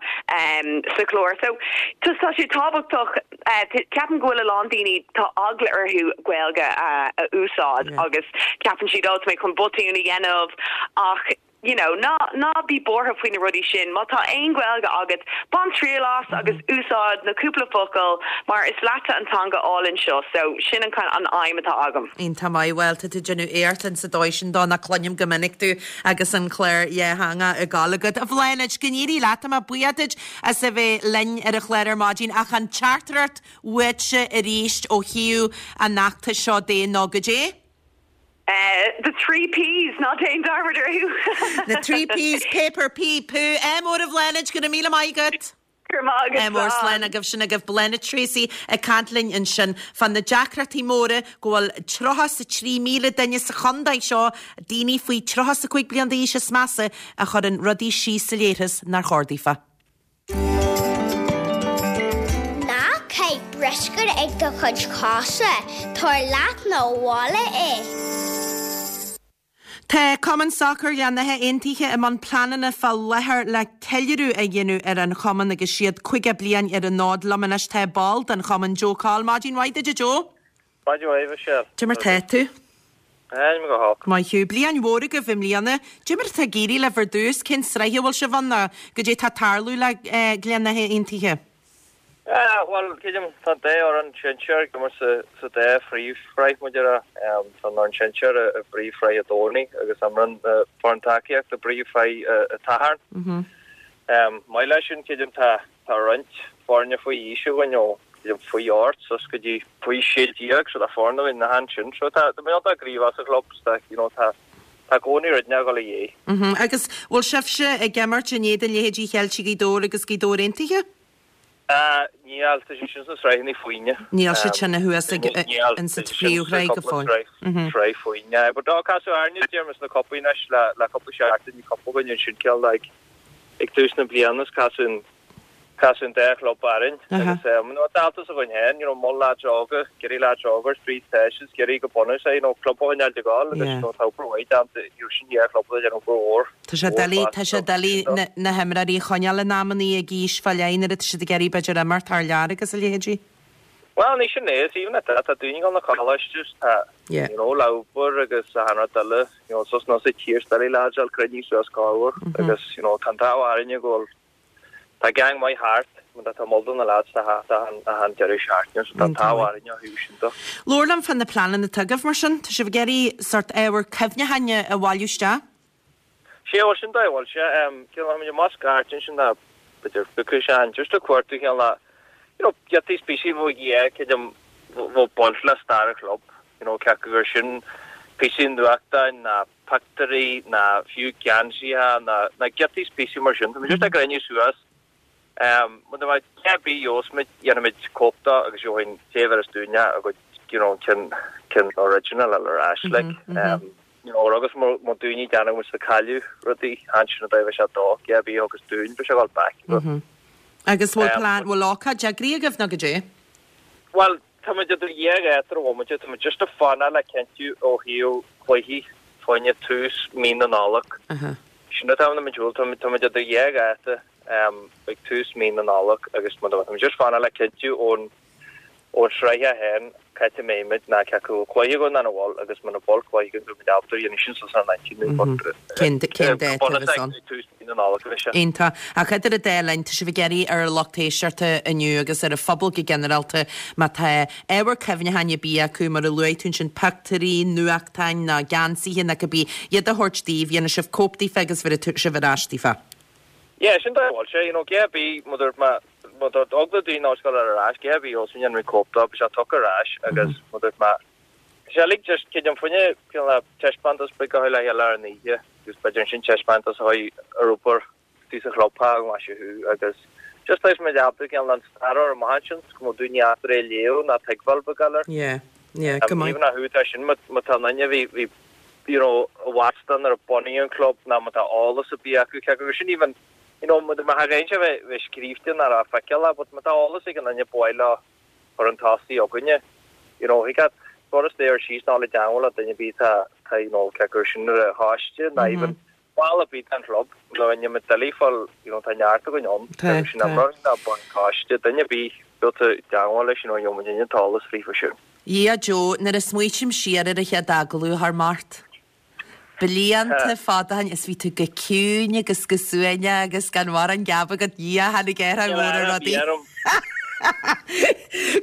sa chlár. So just tá sé tábhachtach ceapaim go bhfuil a lán daoine tá eagla orthu Gaeilge a a úsáid agus ceapann siad oh tá mé chun botún a dhéanamh ach you know, ná, ná bí buartha faoi na rudaí sin. Má tá aon Ghaeilge agat, bain triail as agus úsáid na cúpla focal mar is leatsa an teanga álainn seo. So, sin an kind, an aidhm atá agam. Iontach maith. Bhuel, tá tú ag déanamh éacht insa dóigh sin dó nach cluinim go minic tú agus an clár dhátheangach ag gabháil agat. A Bhláthnaid, go n-éirí leat. Tá mé buíoch duit as a bheith linn ar an chlár ar maidin ach an teachtaireacht uaitse arís ó thaobh an fheachtais seo de ná goidé? The 3 Ps, ná déan dearmad orthu! Na 3 Ps, paper, pee, poo. Ádh mór a Bhláthnaid, go raibh míle maith agat! Go raibh maith agat, Ádh mór, slán agaibh, sin agaibh Bláthnaid Treacy ag caint linn ansin fá na deacrachtaí móra go bhfuil 33,000 duine sa chontae seo, daoine faoi 35 bliain d'aois is measa, a chuireann rudaí síos sa leithreas nár chóir daofa. Ná caith bruscar ag do chuid cosa, tabhair leat 'na bhaile é. Tá Cumann Sacair Ghleann Átha Aontaithe i mbun pleananna fá láthair le ceiliúradh a dhéanamh ar an chumann agus iad 50 bliain ar an fhód. Liom anois tá ball den chumann, Joe Coll. Maidin mhaith duit a Joe. Maidin mhaith, Michelle. Cad é mar tá tú? Níl mé go holc. Maith thú. Bliain mhór agaibh i mbliana. Cad é mar atá ag éirí libh ar dtús? Cén sraith a bhfuil sibh ann nó goidé atá ag tarlú le Gleann Átha Aontaithe? Bhuel, creidim, tá an dá fhoireann sinsir ag imirt sa dá phríomhshraith, mar a déarfá. Tá an fhoireann sinsir i bpríomhshraith an Domhnaigh agus imreann na foireann tacaíochta i bpríomhshraith an tSathairn. Maith leis sin, creidim, tá Tá roinnt foirne faoi aois againn ó faoi 8 suas go dtí faoi 16 so tá foirne againn na ansin so tá tá muid iontach gníomhach sa chlub tá you know tá tá i gcónaí rud inteacht ag dul ar aghaidh. Mhm agus bhfuil sibhse ag imirt in éadan leithéidí Cheiltigh Ghaoth Dobhair agus Gaoth Dobhair Aontaithe? Ah níl tá siad sin sna sraitheanna foirne. Níl siad sin thuas ag in sa phríomhshraith go fóill. Mhm. Sraith foirne but tá casadh orainne déarfainn sna cupaí anois le le cúpla seachtain bhí cupa againn ansin cineál like Ag tús na bliana is casadh an casadh an dá chlub orainn agus you know dáltas againn féin you know mol lads óga ag iarraidh lads óga ar thrí teis is ag iarraidh go bunúsach you know club a choinneáil ag gabháil agus you know tá obair mhaith déanta you know sin dhá chlub atá ag déanamh obair mhór Tá sé doiligh tá sé doiligh na na himreoirí a choinneáil in amannaí ag aois fá leith nuair atá siad ag iarraidh b'fhéidir imirt thar lear agus a leithéidí. Bhuel ní sin é is even at that tá daoine ag dul 'na coláiste is tá you know le obair agus achan rud eile you know suas nó sa tír is doiligh lads a fháil cruinnithe suas corruair agus you know tá an t-ádh orainne go bhfuil tá gang maith thart mar tá mol do na lads tá thart achan achan deireadh seachtaine so tá an t-ádh orainne ó thaobh sin de. Labhair liom fá na pleananna atá agaibh mar sin. Tá sibh ag iarraidh sórt ábhar cuimhneacháin a bhailiú isteach? Sé bhuel sin dóigh a bhfuil sé. Cineál táimid amuigh scairt ansin le b'fhéidir cúpla sean just ag cuartú cineál le you know giotaí is píosaí a bheadh yeah creidim bheadh baint le stair an chlub you know cé acu gur sin píosaí nuachtáin ná pictiúirí ná fiú geansaithe ná ná giotaí is píosaí mar sin. Táimid just ag cruinniú suas Muna mbeidh a dhath ar bith gheobhas muid, dhéanfaimid cóip de agus gheobhaidh an té a bheireas dúinne a gcuid, you know, an ceann, ceann original a fháil ar ais, like. You know, agus má daoine ag déanamh muid ag cailleadh rudaí, ansin an dóigh a bheidh sé dó, a dhath ar bith a thugas dúinn, beidh sé ag dul back. Agus bhfuil plean, bhfuil ócáid eagraithe agaibh nó goidé? Bhuel, tá muid idir dhá dháta ar an bhomaite, tá muid just ag fanacht le cinntiú ó thaobh cluichí fá choinne tús mí na Nollag. Sin atá ann, tá muid idir dhá dháta ag tús mí na Nollag agus tá muid just ag fanacht le cinntiú ón ón sraith féin cá háit a mbeidh muid ná cé acu bhfuil cluiche againn nó nach bhfuil agus muna bhfuil cluiche againn beidh muid ábalta a dhéanamh sin suas ar an intinn nó Cén cén dáta a bheas ann? ag tús mí na Nollag a bheidh sé. Iontach. Ach idir an dá linn, tá sibh ag iarraidh ar an lucht éisteachta inniu agus ar an phobal go ginearálta, má tá ábhar cuimhneacháin ar bith acu, mar a luaigh tú ansin, pictiúirí, nuachtáin nó geansaithe nó cibé, iad a thabhairt daoibh, dhéanfaidh sibh cóip daofa agus bhéarfaidh sibh ar ais daofa. Yeah, sin dóigh a bhfuil sé, you know, a dhath ar bith, má dúirt mé, má dúirt eagla daoine ollscoile ar ais, a dhath ar bith, also dhéanfaidh mé cóip dó, beidh sé tugtha ar ais agus má dúirt mé. Tá sé uilig just creidim fá choinne cineál taispeántas beag a chur le chéile ar an oíche agus b'fhéidir ansin taispeántas a chur ar obair istigh sa chlubtheach go maith thú agus just tá muid ábalta cineál an stair a chur amach ansin go mbeadh daoine ábalta é a léamh ná tuigbheáil beag air. Yeah, yeah, go maith. Even a thú tá sin má tá an duine a bhí bhí you know i bhfad nuair a bunaíodh an club ná má tá eolas ar bith acu cé gur sin even you know má thagann sé bheith bheith scríobhte ná raibh feiceáil but má tá eolas ag an duine ba mhaith leo chun an tosaigh againne. You know, thig leat turas lae ar síos ná le teagmháil le duine ar bith tá, tá, you know, cé gur sin ar a choiste ná even ball ar bith den chlub, nó inne ma doiligh fáil, you know, tá neart againn ann, Tá, cé gur sin tá. imreoirí ná baill coiste, duine ar bith bheadh i dteagmháil leis, you know, gheobhaidh muid an t-eolas fríofa sin. Dhia Joe, nuair a smaoitím siar ar an chéad agallamh thar Mart. Blianta fada ó shin is bhí tú go ciúin agus go suaimhneach agus gan mórán geab agat, Dhia, tháinig athrú mór ar rudaí.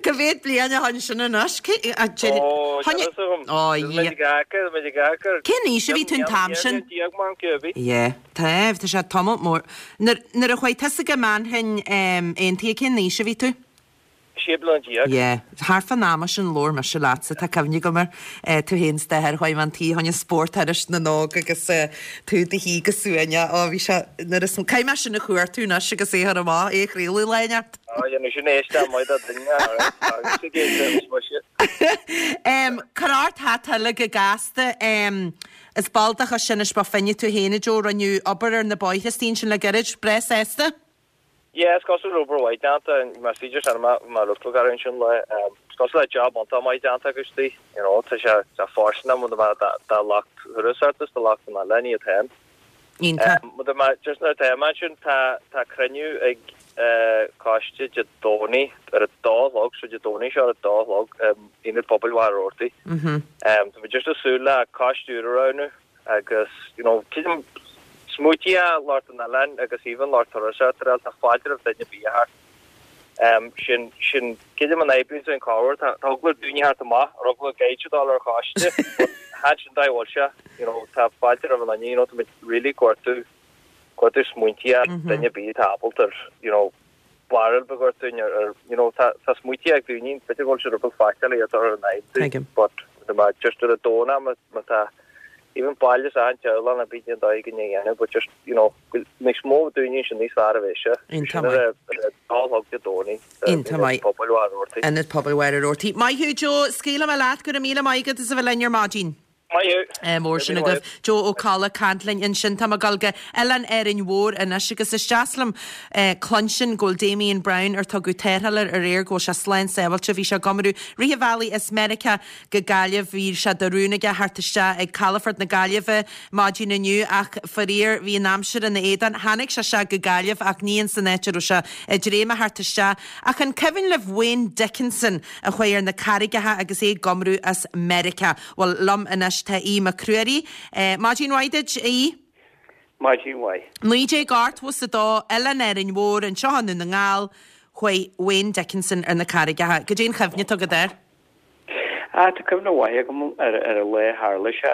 Cá mhéad bliain ó shin sin anois? Ó, Cén aois a bhí tú an t-am sin? Yeah, tá, tá sé tamall mór. Nuair a chuaigh tusa go Manchain Aontaithe, cén aois a bhí tú? 16 bliana. Yeah. Thart fán ama sin labhair mise leatsa, tá cuimhne agam air, tú féin is d'athair, chuaigh mé chun tí fá choinne spórt Iris na nÓg agus tú i do shuí go suaimhneach, ó bhí sé, nuair is, caithfidh mé sin a chuartú anois agus é a chur amach, é a chraoladh lá inteacht. Á, dhéanfaidh sin éisteacht maith do dhuine, alright, agus ag éisteacht is mise. Em, cuir ort hata uilig go gasta, em, is ball de Chois Inis Bó Finne tú féin a Joe, rinneadh obair ar na bóithre istigh ansin le gairid, breá sásta? Yeah, is cosúil le obair mhaith déanta, más féidir sin mar fhocal gar ansin le, is cosúil le job iontach maith déanta acu istigh, you know, tá sé tá fóirsteanach muna mbeadh dá lucht turasóireachta is do lucht an oileáin iad féin. Iontach. Muna mbeadh, just nuair atá mé ansin, tá tá cruinniú ag coiste Dé Domhnaigh ar a dó a chlog, so Dé Domhnaigh seo ar a dó a chlog, Ionad Pobail Mhachaire Rabhartaigh. Tá muid just ag súil le coiste úr a roghnú. Agus, you know, creidim, smaointí lucht an oileáin agus even lucht turasóireachta ar tá fáilte roimh duine ar bith a theacht. Sin, sin, creidim an oibríonn sé an cabhair, tá, tá eagla ar daoine theacht amach, ar eagla gaid a dul ar choiste, but chan sin dóigh a bhfuil sé, you know, tá fáilte roimh an duine, you know, tá muid really ag cuartú, cuartú smaointí duine ar bith atá ábalta ar, you know, barúil beag ort dúinn ar, ar, you know, tá, tá smaointí ag daoine, b'fhéidir go bhfuil siad rud beag faitíoch iad a chur in aghaidh Tuigim. but má just ar a dóna má, má tá even baile is an teaghlach ná bíonn an dóigh go ndéanamh but just, you know, níos mó daoine sin níos fearr a bheidh sé. Iontach Sin ar maith. a, ar a dó a chlog Dé Domhnaigh, Iontach Ionad maith. Pobail Mhachaire Rabhartaigh. Ionad Pobail Mhachaire Rabhartaigh. Maith thú Joe, scaoilfidh mé leat, go raibh míle maith agat as a bheith linn ar maidin. Maith thú. Mór sin agaibh. Joe Ó Colla ag caint linn ansin. Tá mé ag dul go Oileán Árainn Mhór anois agus is deas liom cluinstin go bhfuil Damien Browne ar tugadh tarrtháil air aréir go bhfuil sé slán sábháilte. Bhí sé ag iomrú rith an bhealaigh as Meiriceá go Gaillimh. Bhí sé de rún aige theacht isteach ag calafort na Gaillimhe maidin inniu ach faraor bhí an aimsir ina éadan. Tháinig sé isteach go Gaillimh ach ní ins an áit a raibh sé ag dréim a theacht isteach. Ach an cuimhin libh Wayne Dickinson a chuaigh ar na carraigeacha agus é ag iomrú as Meiriceá? Bhuel, liom anois tá Aodh Mac Ruairí. Maidin mhaith duit, a Aoidh. Maidin mhaith. 1982, Oileán Árainn Mhór, anseo i nDún na nGall, chuaigh Wayne Dickinson ar na carraigeacha. Goidé an chuimhne atá agat air? Ah, tá cuimhne mhaith agam ar ar an lá a tharla sé.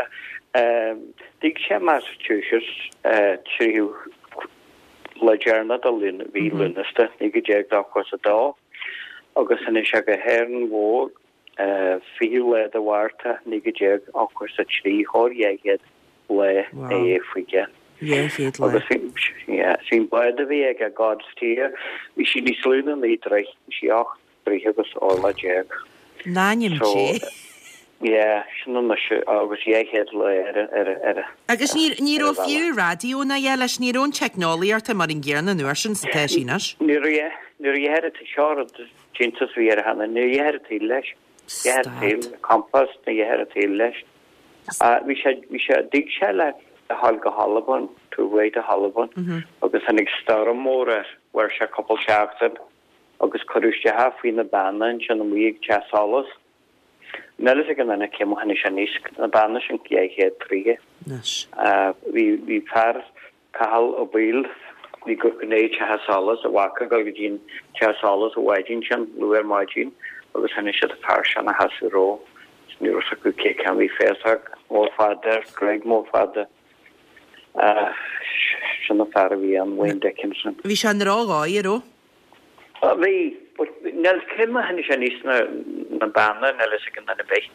D'fhág sé Massachusetts 3ú lá deireanach de mhí Lúnasa, 1982, agus tháinig sé go hÁrainn Mhór 20ú lá de Mhárta 1983, chóir 200 lá ina dhiaidh faoi cheann. 200 lá. Agus bhí an bád a bhí aige, God's Tear, bhí sí níos lú ná 9 dtroigh, bhí sí 8 dtroigh agus orlach. In ainm Dé. Yeah, sin anois agus 200 lá ar ar ar Agus ní ní raibh fiú raidió ná a dhath leis, ní raibh an teicneolaíocht mar an gcéanna an uair sin is atá sí anois. Ní raibh, ní raibh a seo rud Iontas a bhí air cheana. Ní raibh a dhath an tsaoil leis. A dhath an tsaoil, compás, ní raibh a dhath an tsaoil leis. Bhí sé, bhí sé, d'fhág sé le dhul go hAlbain, to away to hAlbain, agus tháinig stoirm mór air, mhair sé cúpla seachtain agus cuireadh isteach é faoi na beanna ansin amuigh ag Teach Solais. Níl fhios ag aon duine cé mar tháinig sé aníos na beanna sin 200 troigh. Bhí, bhí fear Cathal Ó Baoill, bhí go gné Teach Solais, a mhac ag dul go dtí an Teach Solais an mhaidin sin, luath ar maidin, agus tháinig siad an fear sin ina sheasamh rompu. Ní raibh fhios acu cé ceann, bhí féasóg mór fada air, gruaig mór fada. Sin an fear a bhí ann, Wayne Dickinson. Bhí sé i ndrochdhóigh, an raibh? Bhí, but níl cé mar tháinig sé aníos na, na beanna, níl fhios ag aon duine ar bith.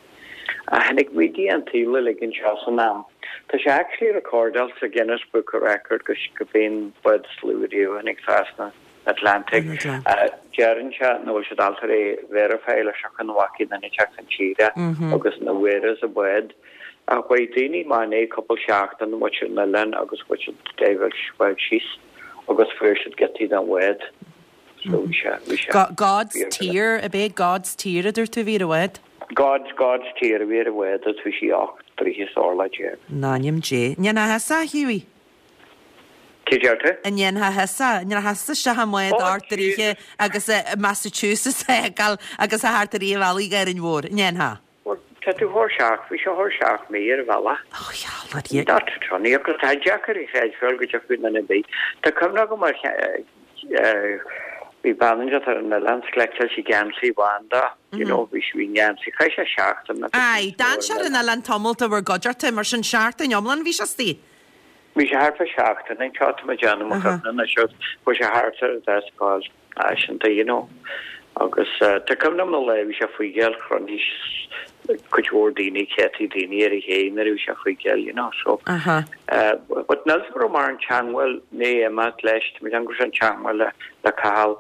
Ach tháinig muid an tsaol uilig anseo san am. Tá sé actually recordálta sa Guinness Book of Record go gurb é an bád is lú riamh a tháinig trasna Atlantic. Deireann sé nach bhfuil siad ábalta é verify leis ach an bhfacaidh duine teacht chun tíre agus na bhfuaireas a bád. Ach chuaigh daoine amach inné cúpla seachtain amuigh ar an oileán agus chuaigh siad diveáil bád síos agus fuair siad giotaí den bhád. So bhí sé, bhí sé. God's Tear, ab é God's Tear a dúirt tú a bhí ar an bhád? God's, God's Tear a bhí ar an bhád agus bhí sí 18 dtroithe is orlach. In ainm Dé. An ndéanfá thusa, a Hughie? Cé deir tú? An ndéanfá thusa? An ndéanfá thusa isteach i mbád 8 dtroithe agus i Massachusetts a fheiceáil agus a theacht i rith an bhealaigh go Árainn Mhór? An ndéanfá? Bhuel, tá tú thar seacht, bhí sé thar seacht mí ar an bhealach. Ó, gheall ar Dhia. Not funny, agus tá deacair a chreidbheáil go dtiocfadh duine ar bith. Tá cuimhne agam ar bhí bean anseo ar an oileán, chleiteáil sí geansaí bán dó, you know, bhí sí, bhí an geansaí, chaith sé seachtain agus Aye, d'fhan sé ar an oileán tamall de bhur gcuideachta, mar sin seachtain iomlán bhí sé istigh. Bhí sé thart fá seachtain anseo, tá mé ag déanamh mo chuimhne anois, chuaigh sé thart ar an deasc Fhaiseanta, you know. Agus tá cuimhne agam an lá a bhí sé faoigeáil, chruinnigh cuid mhór daoine, céadtaí daoine ar an ché nuair a bhí sé faoigeáil, you know. So, but níl 's agam raibh mórán teangmháil i ndiaidh imeacht leis, tá mé ag déanamh go raibh sé in teangmháil le le Cathal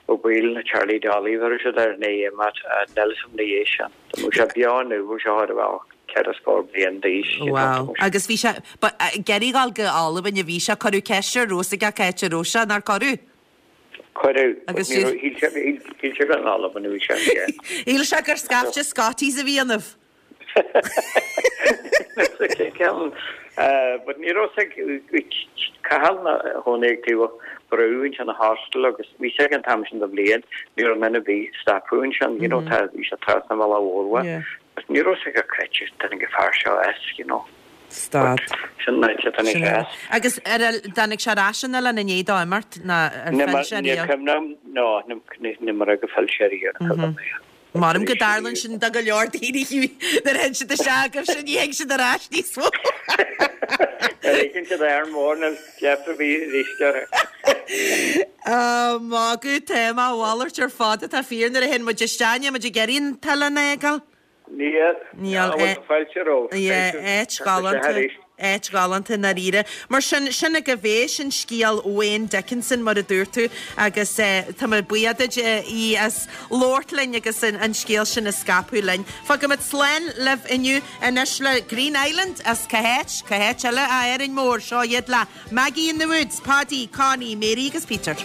Ó Baoill nó Charlie Dolly, bheir siad air i ndiaidh imeacht, níl 's agam ina dhiaidh sin. Dá mbeadh sé beo inniu, bheadh sé chóir a bheith ceithre scór bliain d'aois, you know. Wow. Agus bhí sé, but ag iarraidh dhul go Albain a bhí sé, cuireadh ceist air raibh 's aige cá háit a raibh sé, nár cuireadh? Cuireadh, but ní raibh, shíl sé, shíl sé gur in Albain a bhí sé, yeah. Shíl sé gur scaifte Scotties a bhí ionaibh. Ceann, but ní raibh 's ag Cathal ina chónaí ag taobh an brú ansin an hostel agus bhí 's ag an t-am sin de bhliain, ní raibh duine ar bith stopadh ansin, you know, tá, bhí sé trasna an bhealaigh mhór uaidh. But ní raibh 's ag cá háit a dtáinig an fear seo as, you know. Stad. Sin an áit a dtáinig sé as. Agus ar dtáinig sé ar ais an oileán i ndiaidh dó imeacht ná ar phill sé riamh? Ní cuimhin liom, no, ní mar gur phill sé riamh, ní cuimhin liom. Measaim go dtarlaíonn sin do go leor daoine nuair a théann siad isteach agaibhse ní théann siad ar ais níos mó. Nuair a fheiceann siad Árainn Mhór níl deifir ar bith arís orthu. Á, magadh, tá mé a mhalairt ar fad atá fíor nuair a théann muid isteach, níl muid ag iarraidh an t-oileán a fhágáil. Níl. Níl. Bhuel, tá fáilte romhat. Yeah, áit ghalánta, áit ghalánta i ndáiríre. Mar sin, sin agaibh é, sin scéal Wayne Dickinson mar a dúirt tú agus tá mé buíoch duit í as labhairt linn agus an scéal sin a scaipeadh linn. Fágfaimid slán libh inniu anois le Green Island as cá háit, cá háit eile ach Árainn Mhór, seo iad le Maggie in the Woods, Paddy, Connie, Mary agus Peter.